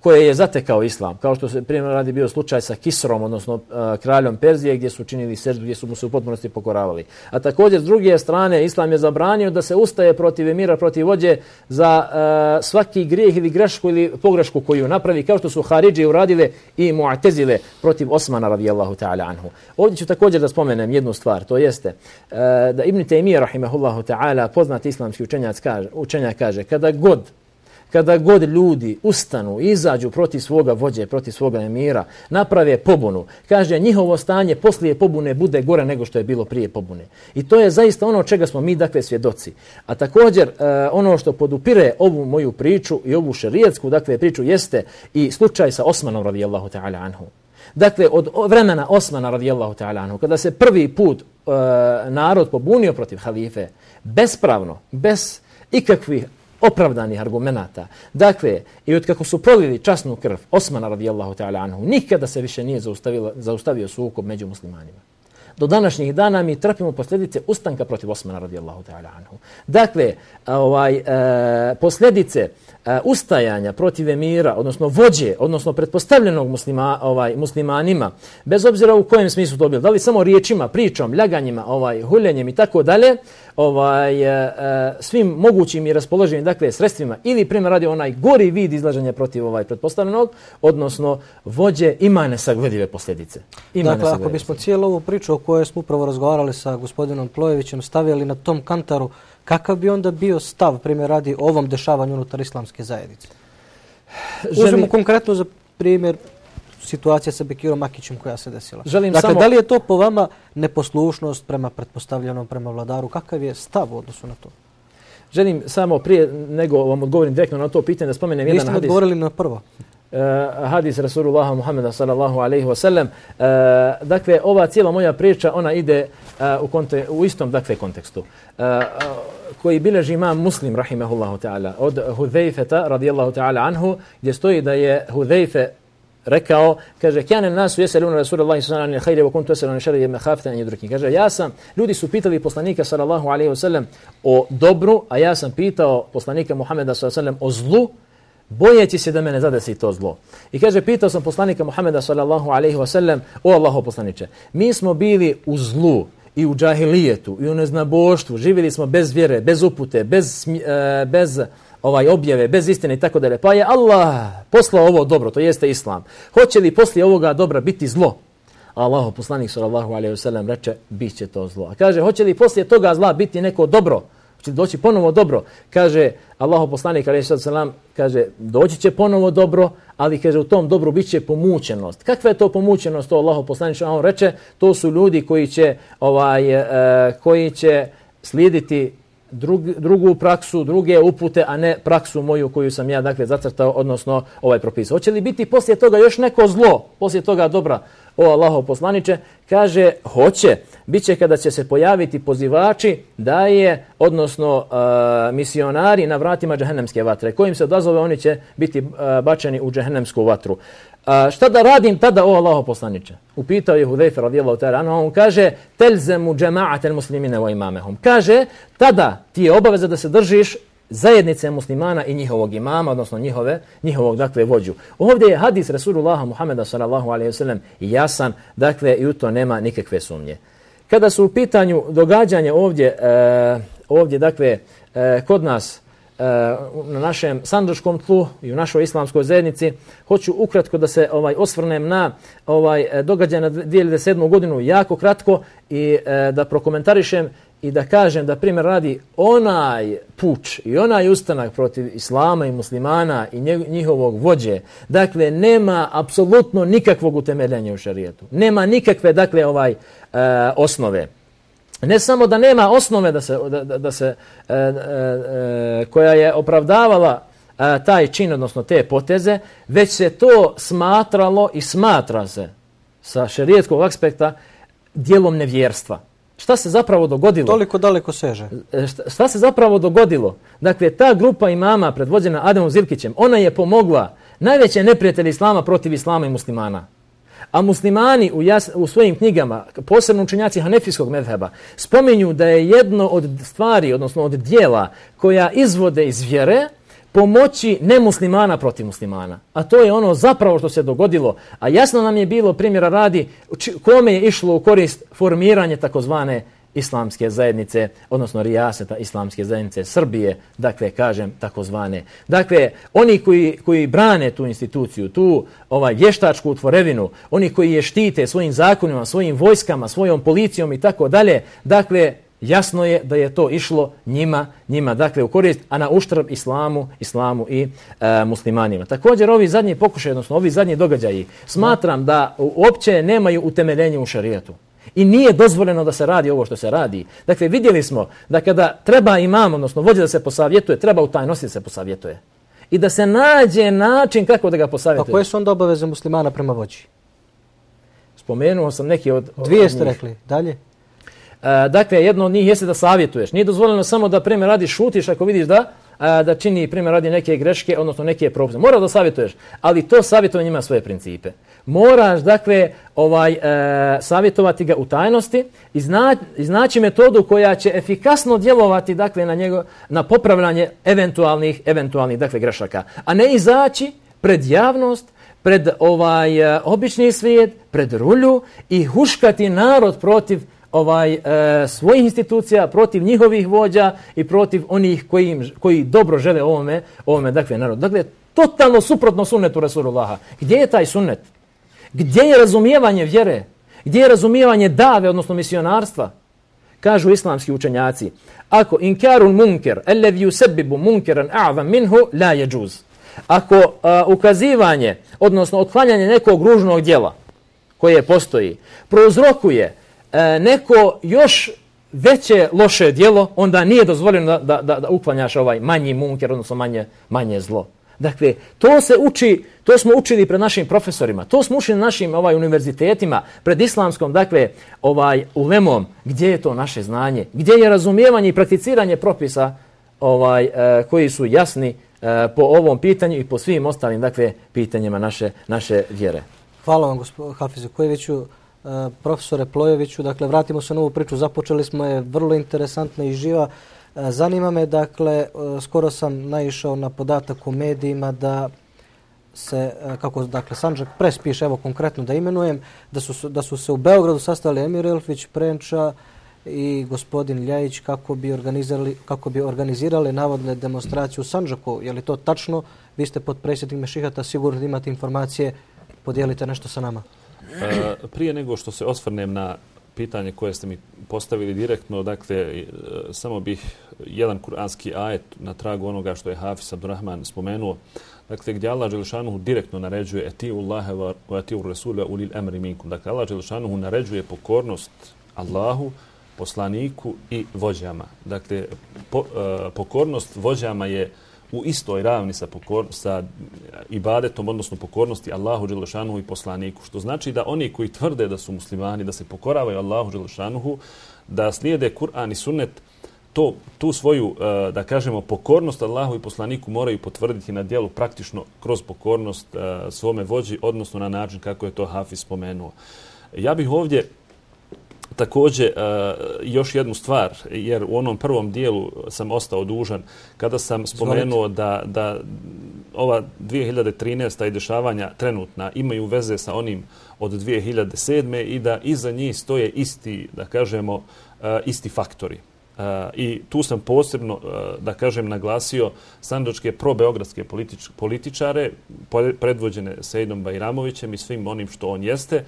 [SPEAKER 3] koje je zatekao islam, kao što se primjer radi bio slučaj sa Kisrom, odnosno uh, kraljom Perzije, gdje su činili seždu, gdje su mu se u potpunosti pokoravali. A također, s druge strane, islam je zabranio da se ustaje protiv emira, protiv vođe za uh, svaki grijeh ili grešku ili pogrešku koju napravi, kao što su Haridži uradile i Mu'tezile protiv Osmana radijallahu ta'ala anhu. Ovdje ću također da spomenem jednu stvar, to jeste uh, da Ibn Taymije rahimahullahu ta'ala, poznat islamski učenjak kaže, učenjak kaže, kada god Kada god ljudi ustanu, izađu protiv svoga vođe, protiv svoga emira, naprave pobunu, kaže, njihovo stanje poslije pobune bude gore nego što je bilo prije pobune. I to je zaista ono čega smo mi, dakle, svjedoci. A također, uh, ono što podupire ovu moju priču i ovu šerijetsku, dakle, priču, jeste i slučaj sa Osmanom radijallahu ta'ala anhu. Dakle, od vremena Osmana radijallahu ta'ala anhu, kada se prvi put uh, narod pobunio protiv halife, bespravno, bez ikakvih opravdanih argumenata. Dakle, i od kako su prolili časnu krv Osmana radijallahu ta'ala anhu, nikada se više nije zaustavio sukob među muslimanima. Do današnjih dana mi trpimo posljedice ustanka protiv Osmana radijallahu ta'ala anhu. Dakle, ovaj, e, posljedice e, ustajanja protiv emira, odnosno vođe, odnosno pretpostavljenog muslima, ovaj, muslimanima, bez obzira u kojem smislu to bilo, da li samo riječima, pričom, ljaganjima, ovaj, huljenjem i tako dalje, ovaj, e, svim mogućim i raspoloživim dakle, sredstvima ili primjer radi onaj gori vid izlaženja protiv ovaj pretpostavljenog, odnosno vođe ima nesagledive posljedice. Ima
[SPEAKER 1] dakle, ako bismo cijelu ovu priču o kojoj smo upravo razgovarali sa gospodinom Plojevićem stavili na tom kantaru, kakav bi onda bio stav, primjer radi, ovom dešavanju unutar islamske zajednice? Želim... Uzmemo konkretno za primjer situacija sa Bekirom Makićem koja se desila.
[SPEAKER 3] Želim
[SPEAKER 1] dakle,
[SPEAKER 3] samo...
[SPEAKER 1] da li je to po vama neposlušnost prema pretpostavljenom, prema vladaru? Kakav je stav u odnosu na to?
[SPEAKER 3] Želim samo prije nego vam odgovorim direktno na to pitanje da spomenem jedan hadis.
[SPEAKER 1] Niste odgovorili na prvo.
[SPEAKER 3] Uh, hadis Rasulullaha Muhammeda sallallahu alaihi wa sallam. Uh, dakle, ova cijela moja priča, ona ide uh, u, konte, u istom dakle, kontekstu. Uh, uh, koji bileži imam Muslim, rahimahullahu ta'ala, od Hudhejfeta, radijallahu ta'ala anhu, gdje stoji da je Hudhejfe rekao, kaže, kjane nasu jeseluna Rasulullahi sallallahu alaihi wa sallam, wa kuntu jeseluna šarije me hafte an jedruki. Kaže, ja sam, ljudi su pitali poslanika sallallahu alaihi wa sallam o dobru, a ja sam pitao poslanika Muhammeda sallallahu alaihi wa sallam o zlu, bojeći se da me ne zadesi to zlo. I kaže, pitao sam poslanika Muhammeda sallallahu alaihi wa sallam, o Allaho poslaniče, mi smo bili u zlu i u džahilijetu i u neznaboštvu, živjeli smo bez vjere, bez upute, bez, e, bez ovaj objave, bez istine i tako dalje. Pa je Allah poslao ovo dobro, to jeste islam. Hoće li poslije ovoga dobra biti zlo? A Allaho poslanik sallallahu alaihi wa sallam reče, bit će to zlo. A kaže, hoće li poslije toga zla biti neko dobro? Hoće doći ponovo dobro? Kaže Allaho poslanik alejhi selam, kaže doći će ponovo dobro, ali kaže u tom dobru biće pomučenost. Kakva je to pomučenost? To Allaho poslanik on reče, to su ljudi koji će ovaj e, koji će slijediti drug, drugu praksu, druge upute, a ne praksu moju koju sam ja dakle zacrtao, odnosno ovaj propisao. Hoće li biti poslije toga još neko zlo, poslije toga dobra? O Allahov poslaniče, kaže hoće, biće kada će se pojaviti pozivači da je, odnosno uh, misionari na vratima džehennemske vatre. Kojim se odazove, oni će biti uh, bačeni u džehennemsku vatru. Uh, šta da radim tada, o Allahov poslaniče? Upitao je Hudejfe radijallahu ta'ala anhu, on kaže telzemu džema'atel muslimine wa imamehum. Kaže, tada ti je obaveza da se držiš zajednice muslimana i njihovog imama, odnosno njihove, njihovog dakle vođu. Ovdje je hadis Rasulullaha Muhammeda sallallahu alejhi ve sellem jasan, dakle i u to nema nikakve sumnje. Kada su u pitanju događanja ovdje, e, ovdje dakle e, kod nas e, na našem sandžačkom tlu i u našoj islamskoj zajednici, hoću ukratko da se ovaj osvrnem na ovaj događaj na dvije hiljade sedmu godinu jako kratko i e, da prokomentarišem i da kažem da primjer radi onaj puč i onaj ustanak protiv islama i muslimana i njihovog vođe, dakle nema apsolutno nikakvog utemeljenja u šarijetu. Nema nikakve dakle ovaj e, osnove. Ne samo da nema osnove da se, da, da, da se e, e, koja je opravdavala e, taj čin, odnosno te poteze, već se to smatralo i smatra se sa šarijetskog aspekta djelom nevjerstva. Šta se zapravo dogodilo?
[SPEAKER 1] Toliko daleko seže.
[SPEAKER 3] Šta, šta se zapravo dogodilo? Dakle, ta grupa imama predvođena Ademom Zilkićem, ona je pomogla najveće neprijatelje islama protiv islama i muslimana. A muslimani u, jas, u svojim knjigama, posebno učenjaci hanefijskog medheba, spominju da je jedno od stvari, odnosno od dijela koja izvode iz vjere, pomoći nemuslimana protiv muslimana. A to je ono zapravo što se dogodilo. A jasno nam je bilo, primjera radi, kome je išlo u korist formiranje takozvane islamske zajednice, odnosno rijaseta islamske zajednice Srbije, dakle, kažem, takozvane. Dakle, oni koji, koji brane tu instituciju, tu ovaj, vještačku utvorevinu, oni koji je štite svojim zakonima, svojim vojskama, svojom policijom i tako dalje, dakle, jasno je da je to išlo njima, njima dakle u korist, a na uštrb islamu, islamu i e, muslimanima. Također ovi zadnji pokušaj, odnosno ovi zadnji događaji, smatram da uopće nemaju utemeljenje u šarijetu. I nije dozvoljeno da se radi ovo što se radi. Dakle, vidjeli smo da kada treba imam, odnosno vođa da se posavjetuje, treba u tajnosti da se posavjetuje. I da se nađe način kako da ga posavjetuje.
[SPEAKER 1] A koje su onda obaveze muslimana prema vođi?
[SPEAKER 3] Spomenuo sam neki od...
[SPEAKER 1] Dvije ste rekli. Dalje?
[SPEAKER 3] Dakle, jedno od njih jeste da savjetuješ. Nije dozvoljeno samo da primjer radi šutiš ako vidiš da da čini primjer radi neke greške, odnosno neke propuste. Moraš da savjetuješ, ali to savjetovanje ima svoje principe. Moraš, dakle, ovaj, e, savjetovati ga u tajnosti, izna, iznaći metodu koja će efikasno djelovati, dakle, na, njego, na popravljanje eventualnih, eventualnih dakle, grešaka. A ne izaći pred javnost, pred ovaj, obični svijet, pred rulju i huškati narod protiv ovaj e, svojih institucija, protiv njihovih vođa i protiv onih koji, im, koji dobro žele ovome, ovome dakle, narodu. Dakle, totalno suprotno sunnetu Rasulullaha. Gdje je taj sunnet? Gdje je razumijevanje vjere? Gdje je razumijevanje dave, odnosno misionarstva? Kažu islamski učenjaci, ako inkarun munker, alladhi yusabbibu munkeran a'zam minhu la yajuz. Ako uh, ukazivanje, odnosno otklanjanje nekog ružnog djela koje postoji, prouzrokuje neko još veće loše djelo, onda nije dozvoljeno da, da, da uklanjaš ovaj manji munker, odnosno manje, manje zlo. Dakle, to se uči, to smo učili pred našim profesorima, to smo učili na našim ovaj, univerzitetima, pred islamskom, dakle, ovaj, ulemom, gdje je to naše znanje, gdje je razumijevanje i prakticiranje propisa ovaj, eh, koji su jasni eh, po ovom pitanju i po svim ostalim, dakle, pitanjima naše, naše vjere.
[SPEAKER 1] Hvala vam, gospodine Hafizu Kojeviću. Profesore Plojeviću, dakle, vratimo se na ovu priču, započeli smo je, vrlo interesantna i živa. Zanima me, dakle, skoro sam naišao na podatak u medijima da se, kako dakle, Sandžak Press piše, evo konkretno da imenujem, da su, da su se u Beogradu sastali Emir Elfić, Prenča i gospodin Ljajić kako bi organizirali, kako bi organizirali navodne demonstracije u Sandžaku. Je li to tačno? Vi ste potpredsjednik Mešihata, sigurno imate informacije, podijelite nešto sa nama.
[SPEAKER 2] Uh, prije nego što se osvrnem na pitanje koje ste mi postavili direktno, dakle, uh, samo bih jedan kuranski ajet na tragu onoga što je Hafiz Abdurrahman spomenuo, dakle, gdje Allah dželešanuhu direktno naređuje etiu Allahe wa etiu Rasula ulil emri minkum. Dakle, Allah dželešanuhu naređuje pokornost Allahu, poslaniku i vođama. Dakle, po, uh, pokornost vođama je u istoj ravni sa, pokor, sa ibadetom, odnosno pokornosti Allahu dželešanuhu i poslaniku. Što znači da oni koji tvrde da su muslimani, da se pokoravaju Allahu dželešanuhu, da slijede Kur'an i sunnet, to, tu svoju, da kažemo, pokornost Allahu i poslaniku moraju potvrditi na djelu praktično kroz pokornost svome vođi, odnosno na način kako je to Hafiz spomenuo. Ja bih ovdje također uh, još jednu stvar, jer u onom prvom dijelu sam ostao dužan kada sam spomenuo da, da ova dvije hiljade trinaesta i dešavanja trenutna imaju veze sa onim od dvije hiljade sedme i da iza njih stoje isti, da kažemo, uh, isti faktori. Uh, I tu sam posebno, uh, da kažem, naglasio sandžačke probeogradske politič, političare predvođene Sejdom Bajramovićem i svim onim što on jeste.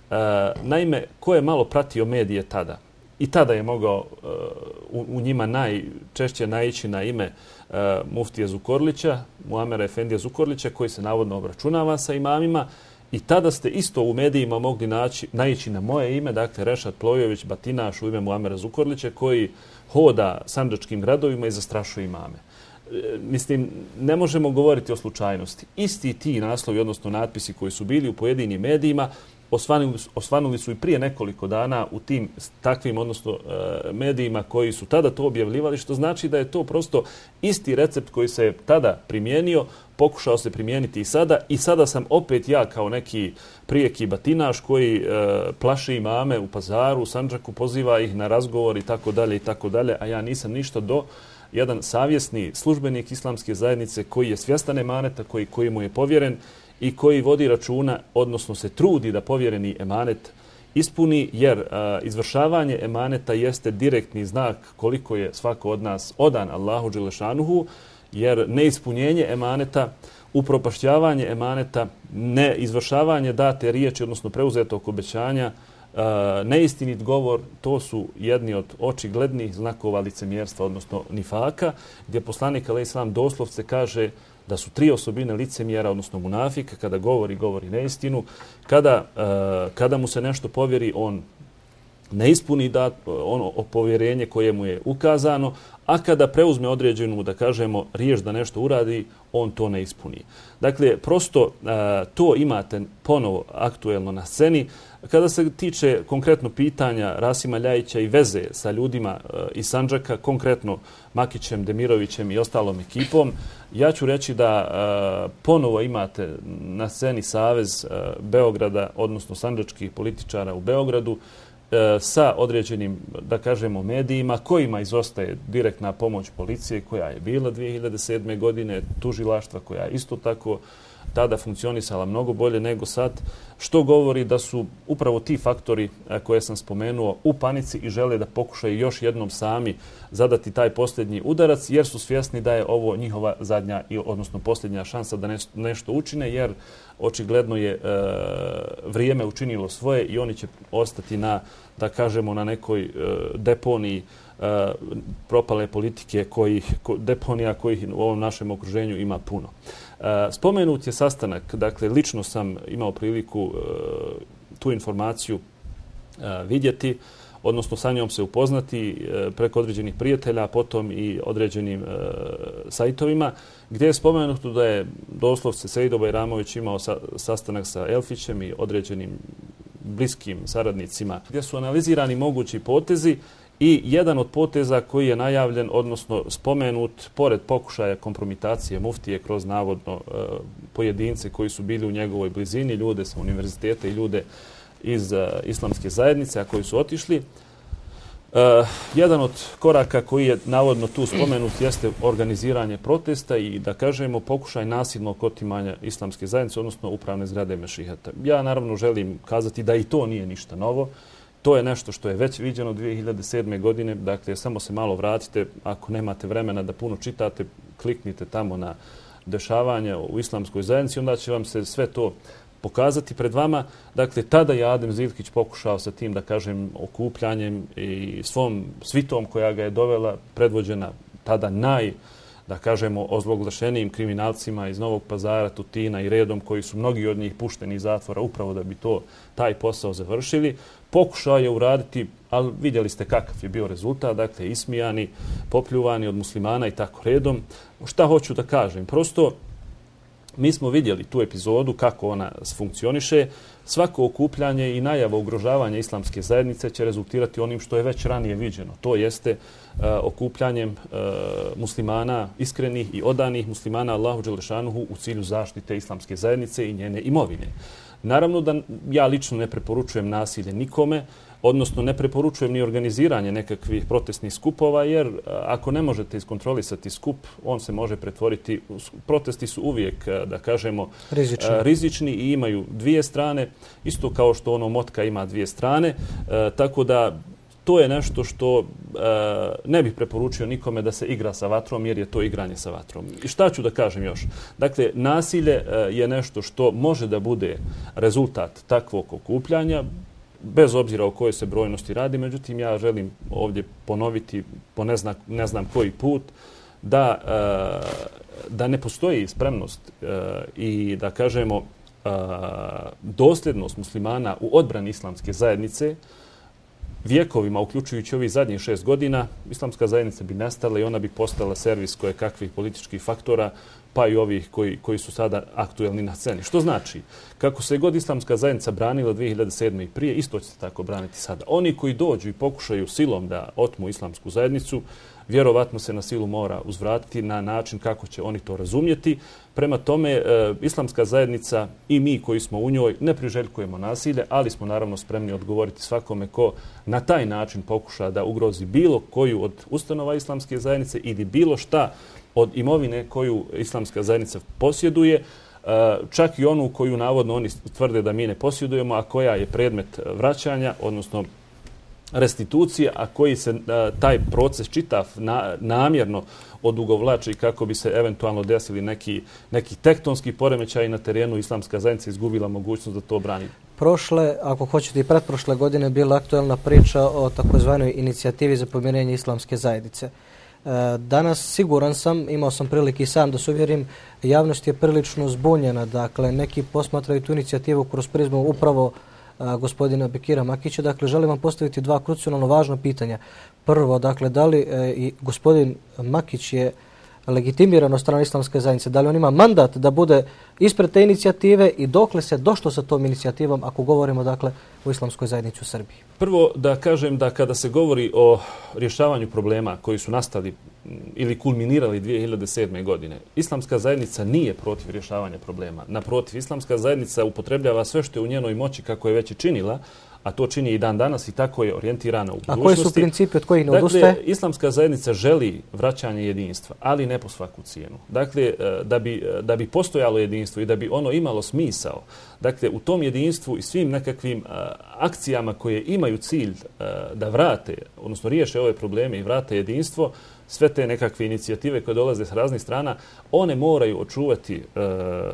[SPEAKER 2] Uh, naime, ko je malo pratio medije tada i tada je mogao uh, u, u njima najčešće naići na ime uh, muftije Zukorlića, Muamera Efendija Zukorlića, koji se navodno obračunava sa imamima, i tada ste isto u medijima mogli naći, naići na moje ime, dakle Rešad Plojević Batinaš u ime Muamera Zukorlića, koji hoda sandžačkim gradovima i zastrašuje imame. Mislim, ne možemo govoriti o slučajnosti. Isti ti naslovi, odnosno natpisi koji su bili u pojedinim medijima, osvanuli, osvanuli su i prije nekoliko dana u tim takvim, odnosno medijima koji su tada to objavljivali, što znači da je to prosto isti recept koji se tada primijenio, pokušao se primijeniti i sada. I sada sam opet ja kao neki prijeki batinaš koji e, plaši imame u Pazaru, u Sandžaku, poziva ih na razgovor i tako dalje i tako dalje, a ja nisam ništa do jedan savjesni službenik islamske zajednice koji je svjestan emaneta, koji, koji mu je povjeren i koji vodi računa, odnosno se trudi da povjereni emanet ispuni, jer a, izvršavanje emaneta jeste direktni znak koliko je svako od nas odan Allahu dželešanuhu, jer neispunjenje emaneta, upropašćavanje emaneta, neizvršavanje date riječi, odnosno preuzetog obećanja, Uh, neistinit govor, to su jedni od očiglednih znakova licemjerstva, odnosno nifaka, gdje poslanik alejhi selam doslovce kaže da su tri osobine licemjera, odnosno munafika, kada govori, govori neistinu, kada, uh, kada mu se nešto povjeri, on ne ispuni da ono povjerenje koje mu je ukazano, a kada preuzme određenu, da kažemo, riječ da nešto uradi, on to ne ispuni. Dakle, prosto a, to imate ponovo aktuelno na sceni. Kada se tiče konkretno pitanja Rasima Ljajića i veze sa ljudima a, iz Sandžaka, konkretno Makićem, Demirovićem i ostalom ekipom, ja ću reći da a, ponovo imate na sceni Savez a, Beograda, odnosno sandžačkih političara u Beogradu, sa određenim, da kažemo, medijima kojima izostaje direktna pomoć policije koja je bila dvije hiljade sedme. godine, tužilaštva koja je isto tako tada funkcionisala mnogo bolje nego sad, što govori da su upravo ti faktori koje sam spomenuo u panici i žele da pokušaju još jednom sami zadati taj posljednji udarac, jer su svjesni da je ovo njihova zadnja, odnosno posljednja šansa da nešto učine, jer očigledno je e, vrijeme učinilo svoje i oni će ostati na, da kažemo, na nekoj e, deponiji e, propale politike, kojih, ko, deponija kojih u ovom našem okruženju ima puno. E, spomenut je sastanak, dakle, lično sam imao priliku e, tu informaciju e, vidjeti, odnosno sa njom se upoznati e, preko određenih prijatelja, potom i određenim e, sajtovima, gdje je spomenuto da je doslovce Sejdo Bajramović imao sa, sastanak sa Elfićem i određenim bliskim saradnicima, gdje su analizirani mogući potezi i jedan od poteza koji je najavljen, odnosno spomenut, pored pokušaja kompromitacije muftije kroz navodno e, pojedince koji su bili u njegovoj blizini, ljude sa univerziteta i ljude iz uh, islamske zajednice, a koji su otišli. Uh, jedan od koraka koji je navodno tu spomenut jeste organiziranje protesta i, da kažemo, pokušaj nasilnog otimanja islamske zajednice, odnosno upravne zgrade Mešihata. Ja naravno želim kazati da i to nije ništa novo. To je nešto što je već viđeno dvije hiljade sedme. godine. Dakle, samo se malo vratite. Ako nemate vremena da puno čitate, kliknite tamo na dešavanja u islamskoj zajednici, onda će vam se sve to pokazati pred vama. Dakle, tada je Adem Zivkić pokušao sa tim, da kažem, okupljanjem i svom svitom koja ga je dovela, predvođena tada naj, da kažemo, ozloglašenijim kriminalcima iz Novog Pazara, Tutina i redom, koji su mnogi od njih pušteni iz zatvora upravo da bi to, taj posao završili. Pokušao je uraditi, ali vidjeli ste kakav je bio rezultat, dakle, ismijani, popljuvani od muslimana i tako redom. Šta hoću da kažem? Prosto, mi smo vidjeli tu epizodu, kako ona funkcioniše. Svako okupljanje i najava ugrožavanja islamske zajednice će rezultirati onim što je već ranije viđeno. To jeste uh, okupljanjem uh, muslimana, iskrenih i odanih muslimana Allahu dželešanuhu u cilju zaštite islamske zajednice i njene imovine. Naravno da ja lično ne preporučujem nasilje nikome, odnosno ne preporučujem ni organiziranje nekakvih protestnih skupova, jer ako ne možete iskontrolisati skup, on se može pretvoriti. Protesti su uvijek, da kažemo, rizični, rizični i imaju dvije strane, isto kao što ono motka ima dvije strane, e, tako da to je nešto što e, ne bih preporučio nikome da se igra sa vatrom, jer je to igranje sa vatrom. I šta ću da kažem još? Dakle, nasilje e, je nešto što može da bude rezultat takvog okupljanja, bez obzira o kojoj se brojnosti radi. Međutim, ja želim ovdje ponoviti po ne znam, ne znam koji put da, e, da ne postoji spremnost e, i, da kažemo, e, dosljednost muslimana u odbrani islamske zajednice. Vjekovima, uključujući ovih zadnjih šest godina, islamska zajednica bi nestala i ona bi postala servis koje kakvih političkih faktora, pa i ovih koji, koji su sada aktuelni na sceni. Što znači, kako se god islamska zajednica branila dvije hiljade sedme. i prije, isto će se tako braniti sada. Oni koji dođu i pokušaju silom da otmu islamsku zajednicu, vjerovatno se na silu mora uzvratiti na način kako će oni to razumjeti. Prema tome, e, islamska zajednica i mi koji smo u njoj ne priželjkujemo nasilje, ali smo naravno spremni odgovoriti svakome ko na taj način pokuša da ugrozi bilo koju od ustanova islamske zajednice ili bilo šta od imovine koju islamska zajednica posjeduje, čak i onu koju navodno oni tvrde da mi ne posjedujemo, a koja je predmet vraćanja, odnosno restitucije, a koji se taj proces čitav na, namjerno odugovlači kako bi se eventualno desili neki, neki tektonski poremećaj na terenu, islamska zajednica izgubila mogućnost da to brani.
[SPEAKER 1] Prošle, ako hoćete i pretprošle godine, bila aktuelna priča o takozvanoj inicijativi za pomirenje islamske zajednice. Danas, siguran sam, imao sam prilike i sam da se uvjerim, javnost je prilično zbunjena. Dakle, neki posmatraju tu inicijativu kroz prizmu upravo gospodina Bekira Makića. Dakle, želim vam postaviti dva krucijalno važna pitanja. Prvo, dakle, da li i gospodin Makić je legitimiran od strane Islamske zajednice, da li on ima mandat da bude ispred te inicijative i dokle se došlo sa tom inicijativom ako govorimo dakle o Islamskoj zajednici u Srbiji?
[SPEAKER 2] Prvo da kažem da kada se govori o rješavanju problema koji su nastali ili kulminirali dvije hiljade sedme. godine, Islamska zajednica nije protiv rješavanja problema. Naprotiv, Islamska zajednica upotrebljava sve što je u njenoj moći kako je već i činila, a to čini i dan danas i tako je orijentirana u budućnosti.
[SPEAKER 1] A koji su principi od kojih ne odustaje?
[SPEAKER 2] Dakle, Islamska zajednica želi vraćanje jedinstva, ali ne po svaku cijenu. Dakle, da bi, da bi postojalo jedinstvo i da bi ono imalo smisao, dakle, u tom jedinstvu i svim nekakvim a, akcijama koje imaju cilj a, da vrate, odnosno riješe ove probleme i vrate jedinstvo, sve te nekakve inicijative koje dolaze s raznih strana, one moraju očuvati, a,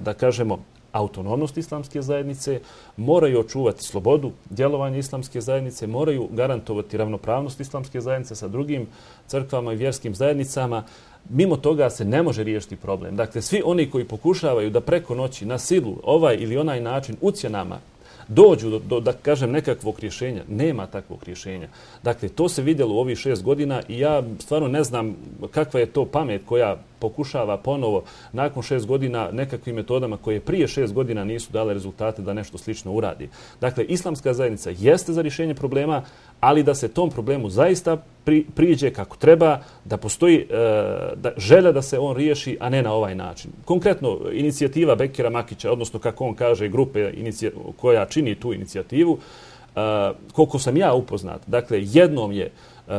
[SPEAKER 2] da kažemo, autonomnost islamske zajednice, moraju očuvati slobodu djelovanja islamske zajednice, moraju garantovati ravnopravnost islamske zajednice sa drugim crkvama i vjerskim zajednicama. Mimo toga se ne može riješiti problem. Dakle, svi oni koji pokušavaju da preko noći na silu ovaj ili onaj način ucjenama dođu do, do, da kažem, nekakvog rješenja. Nema takvog rješenja. Dakle, to se vidjelo u ovih šest godina i ja stvarno ne znam kakva je to pamet koja pokušava ponovo nakon šest godina nekakvim metodama koje prije šest godina nisu dale rezultate da nešto slično uradi. Dakle, Islamska zajednica jeste za rješenje problema, ali da se tom problemu zaista pri, priđe kako treba, da postoji e, da, želja da se on riješi, a ne na ovaj način. Konkretno, inicijativa Bekira Makića, odnosno kako on kaže, grupe koja čini tu inicijativu, e, koliko sam ja upoznat, dakle, jednom je Uh,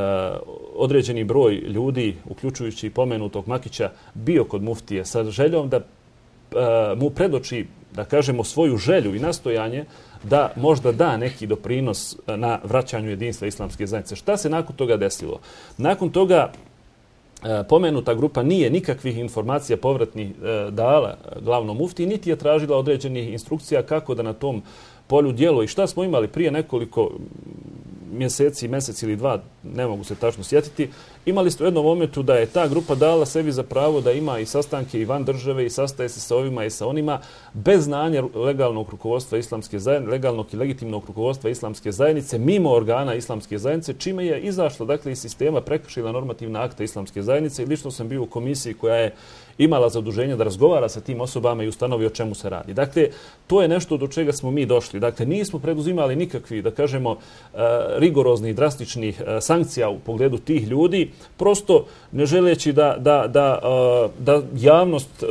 [SPEAKER 2] određeni broj ljudi, uključujući pomenutog Makića, bio kod muftije sa željom da uh, mu predoči, da kažemo, svoju želju i nastojanje da možda da neki doprinos na vraćanju jedinstva islamske zajednice. Šta se nakon toga desilo? Nakon toga uh, pomenuta grupa nije nikakvih informacija povratnih uh, dala glavnom muftiji, niti je tražila određenih instrukcija kako da na tom polju djeluje. I šta smo imali prije nekoliko mjeseci, mjesec ili dva, ne mogu se tačno sjetiti, imali ste u jednom momentu da je ta grupa dala sebi za pravo da ima i sastanke i van države i sastaje se sa ovima i sa onima bez znanja legalnog rukovodstva islamske zajednice, legalnog i legitimnog rukovodstva islamske zajednice, mimo organa islamske zajednice, čime je izašla, dakle, iz sistema, prekršila normativna akta islamske zajednice i lično sam bio u komisiji koja je imala zaduženje da razgovara sa tim osobama i ustanovi o čemu se radi. Dakle, to je nešto do čega smo mi došli. Dakle, nismo preduzimali nikakvi, da kažemo, rigoroznih, drastičnih sankcija u pogledu tih ljudi, prosto ne želeći da, da, da, da javnost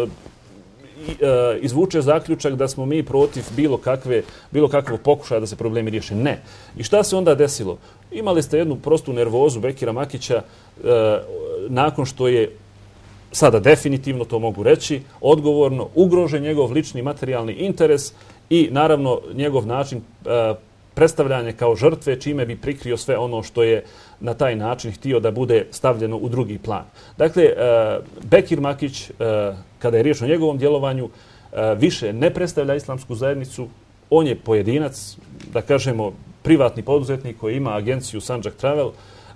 [SPEAKER 2] izvuče zaključak da smo mi protiv bilo kakve, bilo kakvog pokušaja da se problemi riješe. Ne. I šta se onda desilo? Imali ste jednu prostu nervozu Bekira Makića nakon što je, sada definitivno to mogu reći, odgovorno ugrožen njegov lični materijalni interes i naravno njegov način e, predstavljanja kao žrtve, čime bi prikrio sve ono što je na taj način htio da bude stavljeno u drugi plan. Dakle, e, Bekir Makić, e, kada je riječ o njegovom djelovanju, e, više ne predstavlja islamsku zajednicu. On je pojedinac, da kažemo, privatni poduzetnik koji ima agenciju Sandžak Travel.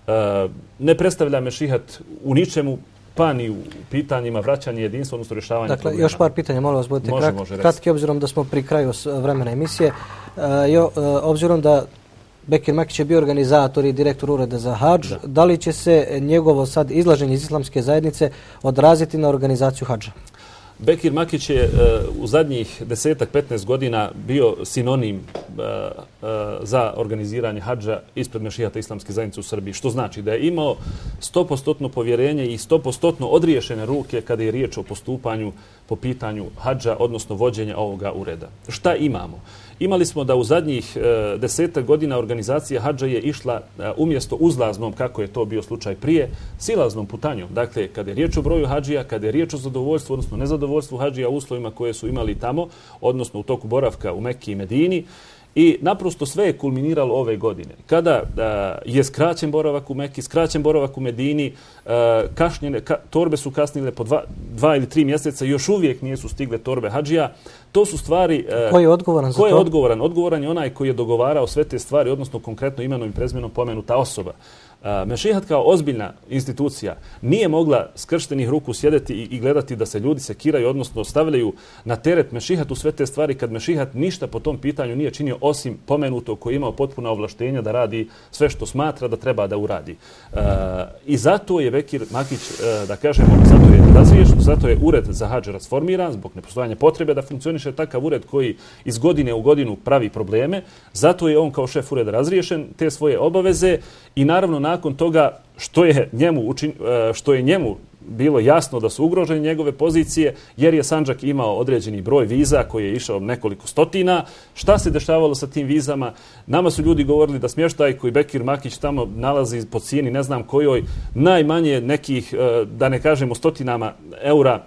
[SPEAKER 2] E, ne predstavlja Mešihat u ničemu, pa ni u pitanjima vraćanja jedinstva, odnosno rješavanja
[SPEAKER 1] dakle,
[SPEAKER 2] problema.
[SPEAKER 1] Još par pitanja, molim vas, budete
[SPEAKER 2] može,
[SPEAKER 1] krat,
[SPEAKER 2] može
[SPEAKER 1] kratki, obzirom da smo pri kraju vremena emisije. E, jo, e, obzirom da Bekir Makić je bio organizator i direktor ureda za hadž, da. da li će se njegovo sad izlaženje iz islamske zajednice odraziti na organizaciju hadža?
[SPEAKER 2] Bekir Makić je uh, u zadnjih desetak, petnaest godina bio sinonim uh, uh, za organiziranje hadža ispred Mešihata islamske zajednice u Srbiji. Što znači da je imao stopostotno povjerenje i stopostotno odriješene ruke kada je riječ o postupanju po pitanju hadža, odnosno vođenja ovoga ureda. Šta imamo? Imali smo da u zadnjih e, desetak godina organizacija hadža je išla e, umjesto uzlaznom, kako je to bio slučaj prije, silaznom putanjom. Dakle, kada je riječ o broju hadžija, kada je riječ o zadovoljstvu, odnosno nezadovoljstvu hadžija u uslovima koje su imali tamo, odnosno u toku boravka u Mekki i Medini, i naprosto sve je kulminiralo ove godine. Kada uh, je skraćen boravak u Mekki, skraćen boravak u Medini, uh, kašnjene, ka, torbe su kasnile po dva, dva ili tri mjeseca, još uvijek nisu stigle torbe hadžija. To su stvari...
[SPEAKER 1] Ko je odgovoran za to?
[SPEAKER 2] Ko je odgovoran? Odgovoran je onaj koji je dogovarao sve te stvari, odnosno konkretno imenom i prezimenom pomenuta osoba. Mešihat kao ozbiljna institucija nije mogla skrštenih ruku sjedeti i, i gledati da se ljudi sekiraju, odnosno stavljaju na teret Mešihatu sve te stvari kad Mešihat ništa po tom pitanju nije činio osim pomenutog koji je imao potpuna ovlaštenja da radi sve što smatra da treba da uradi. E, I zato je Bekir Makić, e, da kažemo, zato je razriješen, zato je ured za hadž rasformiran zbog nepostojanja potrebe da funkcioniše takav ured koji iz godine u godinu pravi probleme. Zato je on kao šef ureda razriješen te svoje obaveze i naravno nakon toga što je njemu, učin, što je njemu bilo jasno da su ugrožene njegove pozicije, jer je Sandžak imao određeni broj viza koji je išao nekoliko stotina. Šta se dešavalo sa tim vizama? Nama su ljudi govorili da smještaj koji Bekir Makić tamo nalazi po cijeni ne znam kojoj, najmanje nekih, da ne kažemo stotinama eura,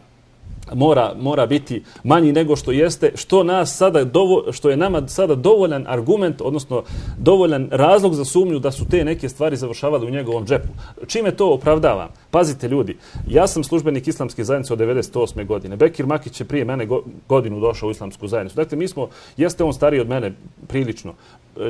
[SPEAKER 2] mora mora biti manji nego što jeste, što nas sada dovo, što je nama sada dovoljan argument, odnosno dovoljan razlog za sumnju da su te neke stvari završavale u njegovom džepu. Čime to opravdavam? Pazite ljudi, ja sam službenik islamske zajednice od devedeset osme godine. Bekir Makić je prije mene go, godinu došao u islamsku zajednicu. Dakle, mi smo, jeste on stariji od mene prilično,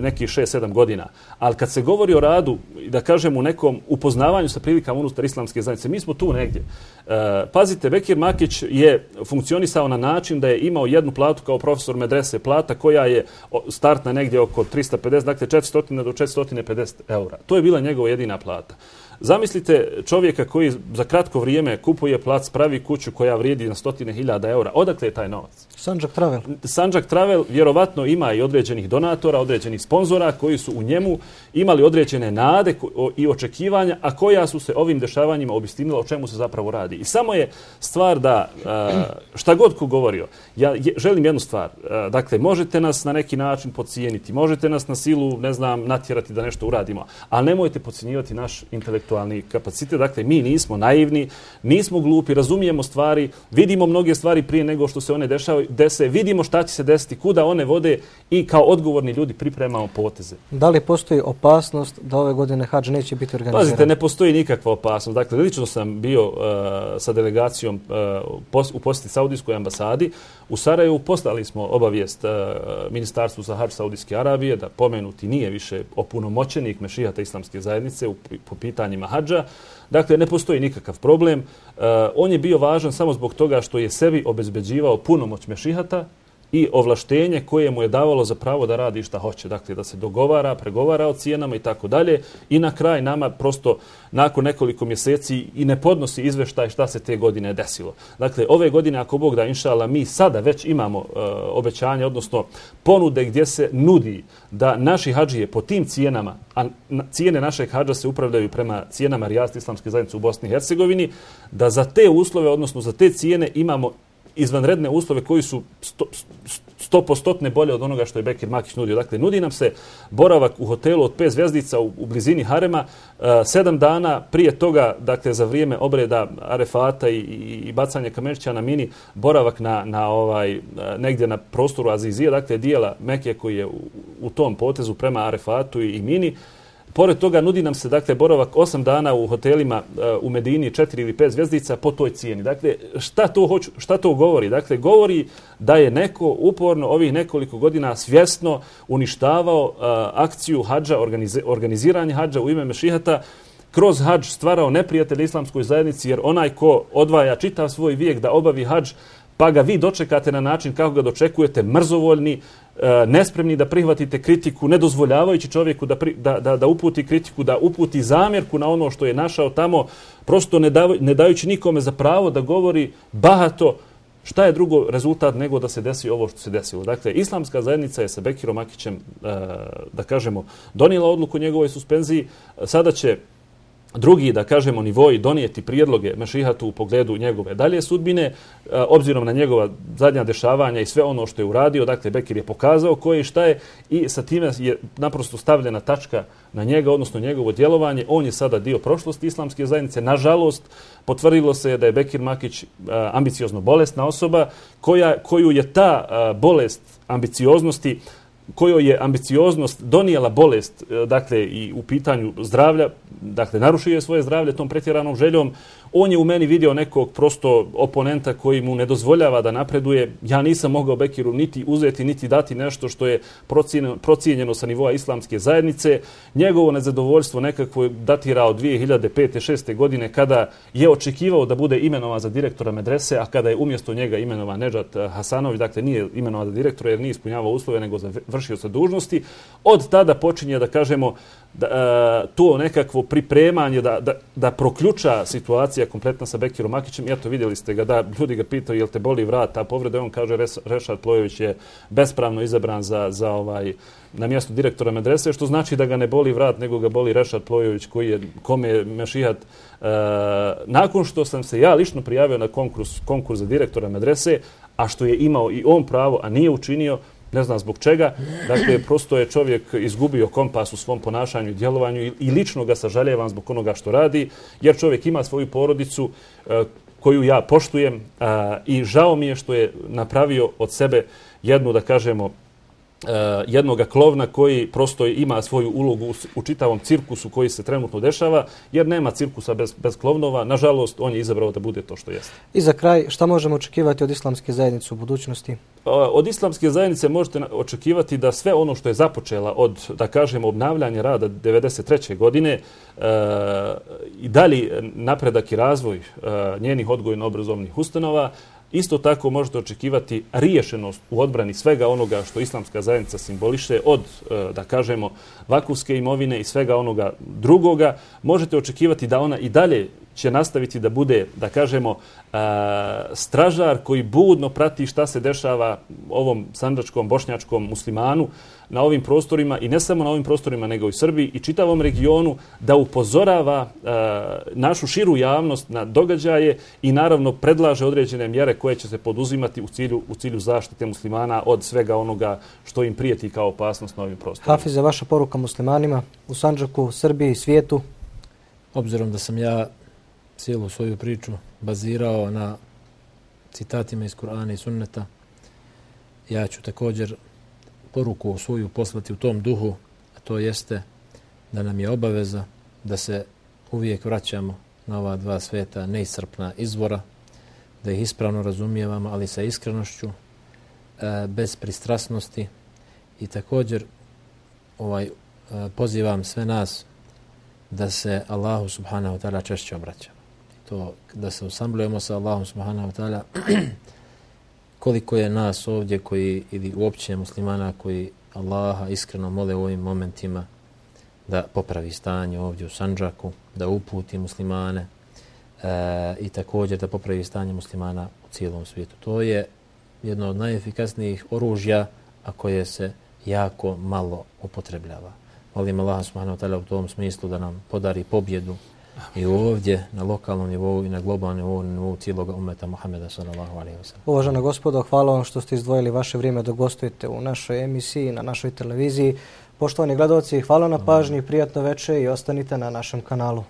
[SPEAKER 2] nekih šest sedam godina. Ali kad se govori o radu, da kažem u nekom upoznavanju sa prilikama unutar islamske zajednice, mi smo tu negdje. E, pazite, Bekir Makić je funkcionisao na način da je imao jednu platu kao profesor medrese, plata koja je startna negdje oko trista pedeset, dakle četiristo do četiristo pedeset eura. To je bila njegova jedina plata. Zamislite čovjeka koji za kratko vrijeme kupuje plac, pravi kuću koja vrijedi na stotine hiljada eura. Odakle je taj novac?
[SPEAKER 1] Sandžak Travel.
[SPEAKER 2] Sandžak Travel vjerovatno ima i određenih donatora, određenih sponzora koji su u njemu imali određene nade i očekivanja, a koja su se ovim dešavanjima obistinila o čemu se zapravo radi. I samo je stvar da, šta god ko govorio, ja želim jednu stvar. Dakle, možete nas na neki način podcijeniti, možete nas na silu, ne znam, natjerati da nešto uradimo, ali nemojte podcjenjivati naš intelektualni kapacitet. Dakle, mi nismo naivni, nismo glupi, razumijemo stvari, vidimo mnoge stvari prije nego što se one dešavaju, dese, vidimo šta će se desiti, kuda one vode i kao odgovorni ljudi pripremamo poteze. Da
[SPEAKER 1] li postoji opasnost da ove godine hadž neće biti organiziran?
[SPEAKER 2] Pazite, ne postoji nikakva opasnost. Dakle, lično sam bio uh, sa delegacijom uh, pos, u posjeti Saudijskoj ambasadi. U Sarajevu poslali smo obavijest uh, Ministarstvu za hadž Saudijske Arabije da pomenuti nije više opunomoćenik Mešihata islamske zajednice u, po pitanjima hadža. Dakle, ne postoji nikakav problem. Uh, on je bio važan samo zbog toga što je sebi obezbeđivao punomoć Mešihata i ovlaštenje koje mu je davalo za pravo da radi šta hoće. Dakle, da se dogovara, pregovara o cijenama i tako dalje. I na kraj nama prosto nakon nekoliko mjeseci i ne podnosi izveštaj šta se te godine desilo. Dakle, ove godine, ako Bog da, inšala, mi sada već imamo uh, obećanje, odnosno ponude gdje se nudi da naši hadžije po tim cijenama, a cijene našeg hadža se upravljaju prema cijenama Rijasta islamske zajednice u Bosni i Hercegovini, da za te uslove, odnosno za te cijene imamo izvanredne uslove koji su sto posto bolje od onoga što je Bekir Makić nudio. Dakle, nudi nam se boravak u hotelu od pet zvjezdica u, u blizini harema, uh, sedam dana prije toga, dakle, za vrijeme obreda Arefata i, i, i bacanje kamenčića na mini, boravak na, na ovaj, uh, negdje na prostoru Azizije, dakle, dijela Mekije koji je u, u tom potezu prema Arefatu i, i mini. Pored toga nudi nam se, dakle, boravak osam dana u hotelima uh, u Medini, četiri ili pet zvjezdica po toj cijeni. Dakle, šta to, hoću, šta to govori? Dakle, govori da je neko uporno ovih nekoliko godina svjesno uništavao uh, akciju hadža, organize, organiziranje hadža u ime Mešihata, kroz hadž stvarao neprijatelje islamskoj zajednici, jer onaj ko odvaja čitav svoj vijek da obavi hadž, pa ga vi dočekate na način kako ga dočekujete, mrzovoljni, nespremni da prihvatite kritiku, ne dozvoljavajući čovjeku da, pri, da, da, da uputi kritiku, da uputi zamjerku na ono što je našao tamo, prosto ne, da, ne dajući nikome za pravo da govori bahato. Šta je drugo rezultat nego da se desi ovo što se desilo? Dakle, islamska zajednica je sa Bekirom Makićem, da kažemo, donijela odluku o njegovoj suspenziji. Sada će drugi, da kažemo, nivoji donijeti prijedloge Mešihatu u pogledu njegove dalje sudbine, obzirom na njegova zadnja dešavanja i sve ono što je uradio. Dakle, Bekir je pokazao ko je i šta je i sa time je naprosto stavljena tačka na njega, odnosno njegovo djelovanje. On je sada dio prošlosti islamske zajednice. Nažalost, potvrdilo se da je Bekir Makić ambiciozno bolesna osoba koja, koju je ta bolest ambicioznosti kojoj je ambicioznost donijela bolest, dakle, i u pitanju zdravlja, dakle, narušio je svoje zdravlje tom pretjeranom željom. On je u meni vidio nekog prosto oponenta koji mu ne dozvoljava da napreduje. Ja nisam mogao Bekiru niti uzeti, niti dati nešto što je procijenjeno sa nivoa islamske zajednice. Njegovo nezadovoljstvo nekako datira od dvije hiljade pete šeste godine kada je očekivao da bude imenovan za direktora medrese, a kada je umjesto njega imenovan Nedžat Hasanović, dakle nije imenovan za direktora jer nije ispunjavao uslove nego za vršioca dužnosti. Od tada počinje, da kažemo, da, uh, to nekakvo pripremanje da, da, da proključa situacija kompletna sa Bekirom Akićem. I eto, vidjeli ste ga, da ljudi ga pitaju jel te boli vrat, a povreda, on kaže Rešad Plojević je bespravno izabran za, za ovaj, na mjesto direktora medrese, što znači da ga ne boli vrat, nego ga boli Rešad Plojević koji je, kome je Mešihat uh, nakon što sam se ja lično prijavio na konkurs, konkurs za direktora medrese, a što je imao i on pravo, a nije učinio, ne znam zbog čega. Dakle, prosto je čovjek izgubio kompas u svom ponašanju i djelovanju i, i lično ga sažaljevam zbog onoga što radi, jer čovjek ima svoju porodicu uh, koju ja poštujem uh, i žao mi je što je napravio od sebe jednu, da kažemo, Uh, jednoga klovna koji prosto ima svoju ulogu u, u čitavom cirkusu koji se trenutno dešava, jer nema cirkusa bez, bez klovnova. Nažalost, on je izabrao da bude to što jeste.
[SPEAKER 1] I za kraj, šta možemo očekivati od islamske zajednice u budućnosti? Uh,
[SPEAKER 2] od islamske zajednice možete očekivati da sve ono što je započela od, da kažemo, obnavljanja rada devedeset treće godine uh, i dalje napredak i razvoj uh, njenih odgojno-obrazovnih ustanova. Isto tako možete očekivati riješenost u odbrani svega onoga što islamska zajednica simboliše, od, da kažemo, vakufske imovine i svega onoga drugoga. Možete očekivati da ona i dalje će nastaviti da bude, da kažemo, stražar koji budno prati šta se dešava ovom sandžačkom, bošnjačkom muslimanu na ovim prostorima, i ne samo na ovim prostorima, nego i Srbiji i čitavom regionu, da upozorava našu širu javnost na događaje i naravno predlaže određene mjere koje će se poduzimati u cilju, u cilju zaštite muslimana od svega onoga što im prijeti kao opasnost na ovim prostorima.
[SPEAKER 1] Hafize, vaša poruka muslimanima u Sandžaku, Srbiji, svijetu?
[SPEAKER 3] Obzirom da sam ja cijelu svoju priču bazirao na citatima iz Kur'ana i Sunneta, ja ću također poruku svoju poslati u tom duhu, a to jeste da nam je obaveza da se uvijek vraćamo na ova dva sveta neiscrpna izvora, da ih ispravno razumijevamo, ali sa iskrenošću, bez pristrasnosti, i također ovaj, pozivam sve nas da se Allahu subhanahu wa ta'ala češće obraćamo. To da se usamljujemo sa Allahom subhanahu wa ta'ala. Koliko je nas ovdje koji, ili uopće muslimana koji Allaha iskreno mole u ovim momentima da popravi stanje ovdje u Sandžaku, da uputi muslimane e, i također da popravi stanje muslimana u cijelom svijetu. To je jedno od najefikasnijih oružja, a koje se jako malo upotrebljava. Molim Allaha subhanahu wa ta'ala u tom smislu da nam podari pobjedu i ovdje na lokalnom nivou i na globalnom nivou, na nivou cijelog umeta Muhameda sallallahu alejhi ve sellem.
[SPEAKER 1] Uvažena gospodo, hvala vam što ste izdvojili vaše vrijeme da gostujete u našoj emisiji, na našoj televiziji. Poštovani gledalci, hvala na pažnji, prijatno večer i ostanite na našem kanalu.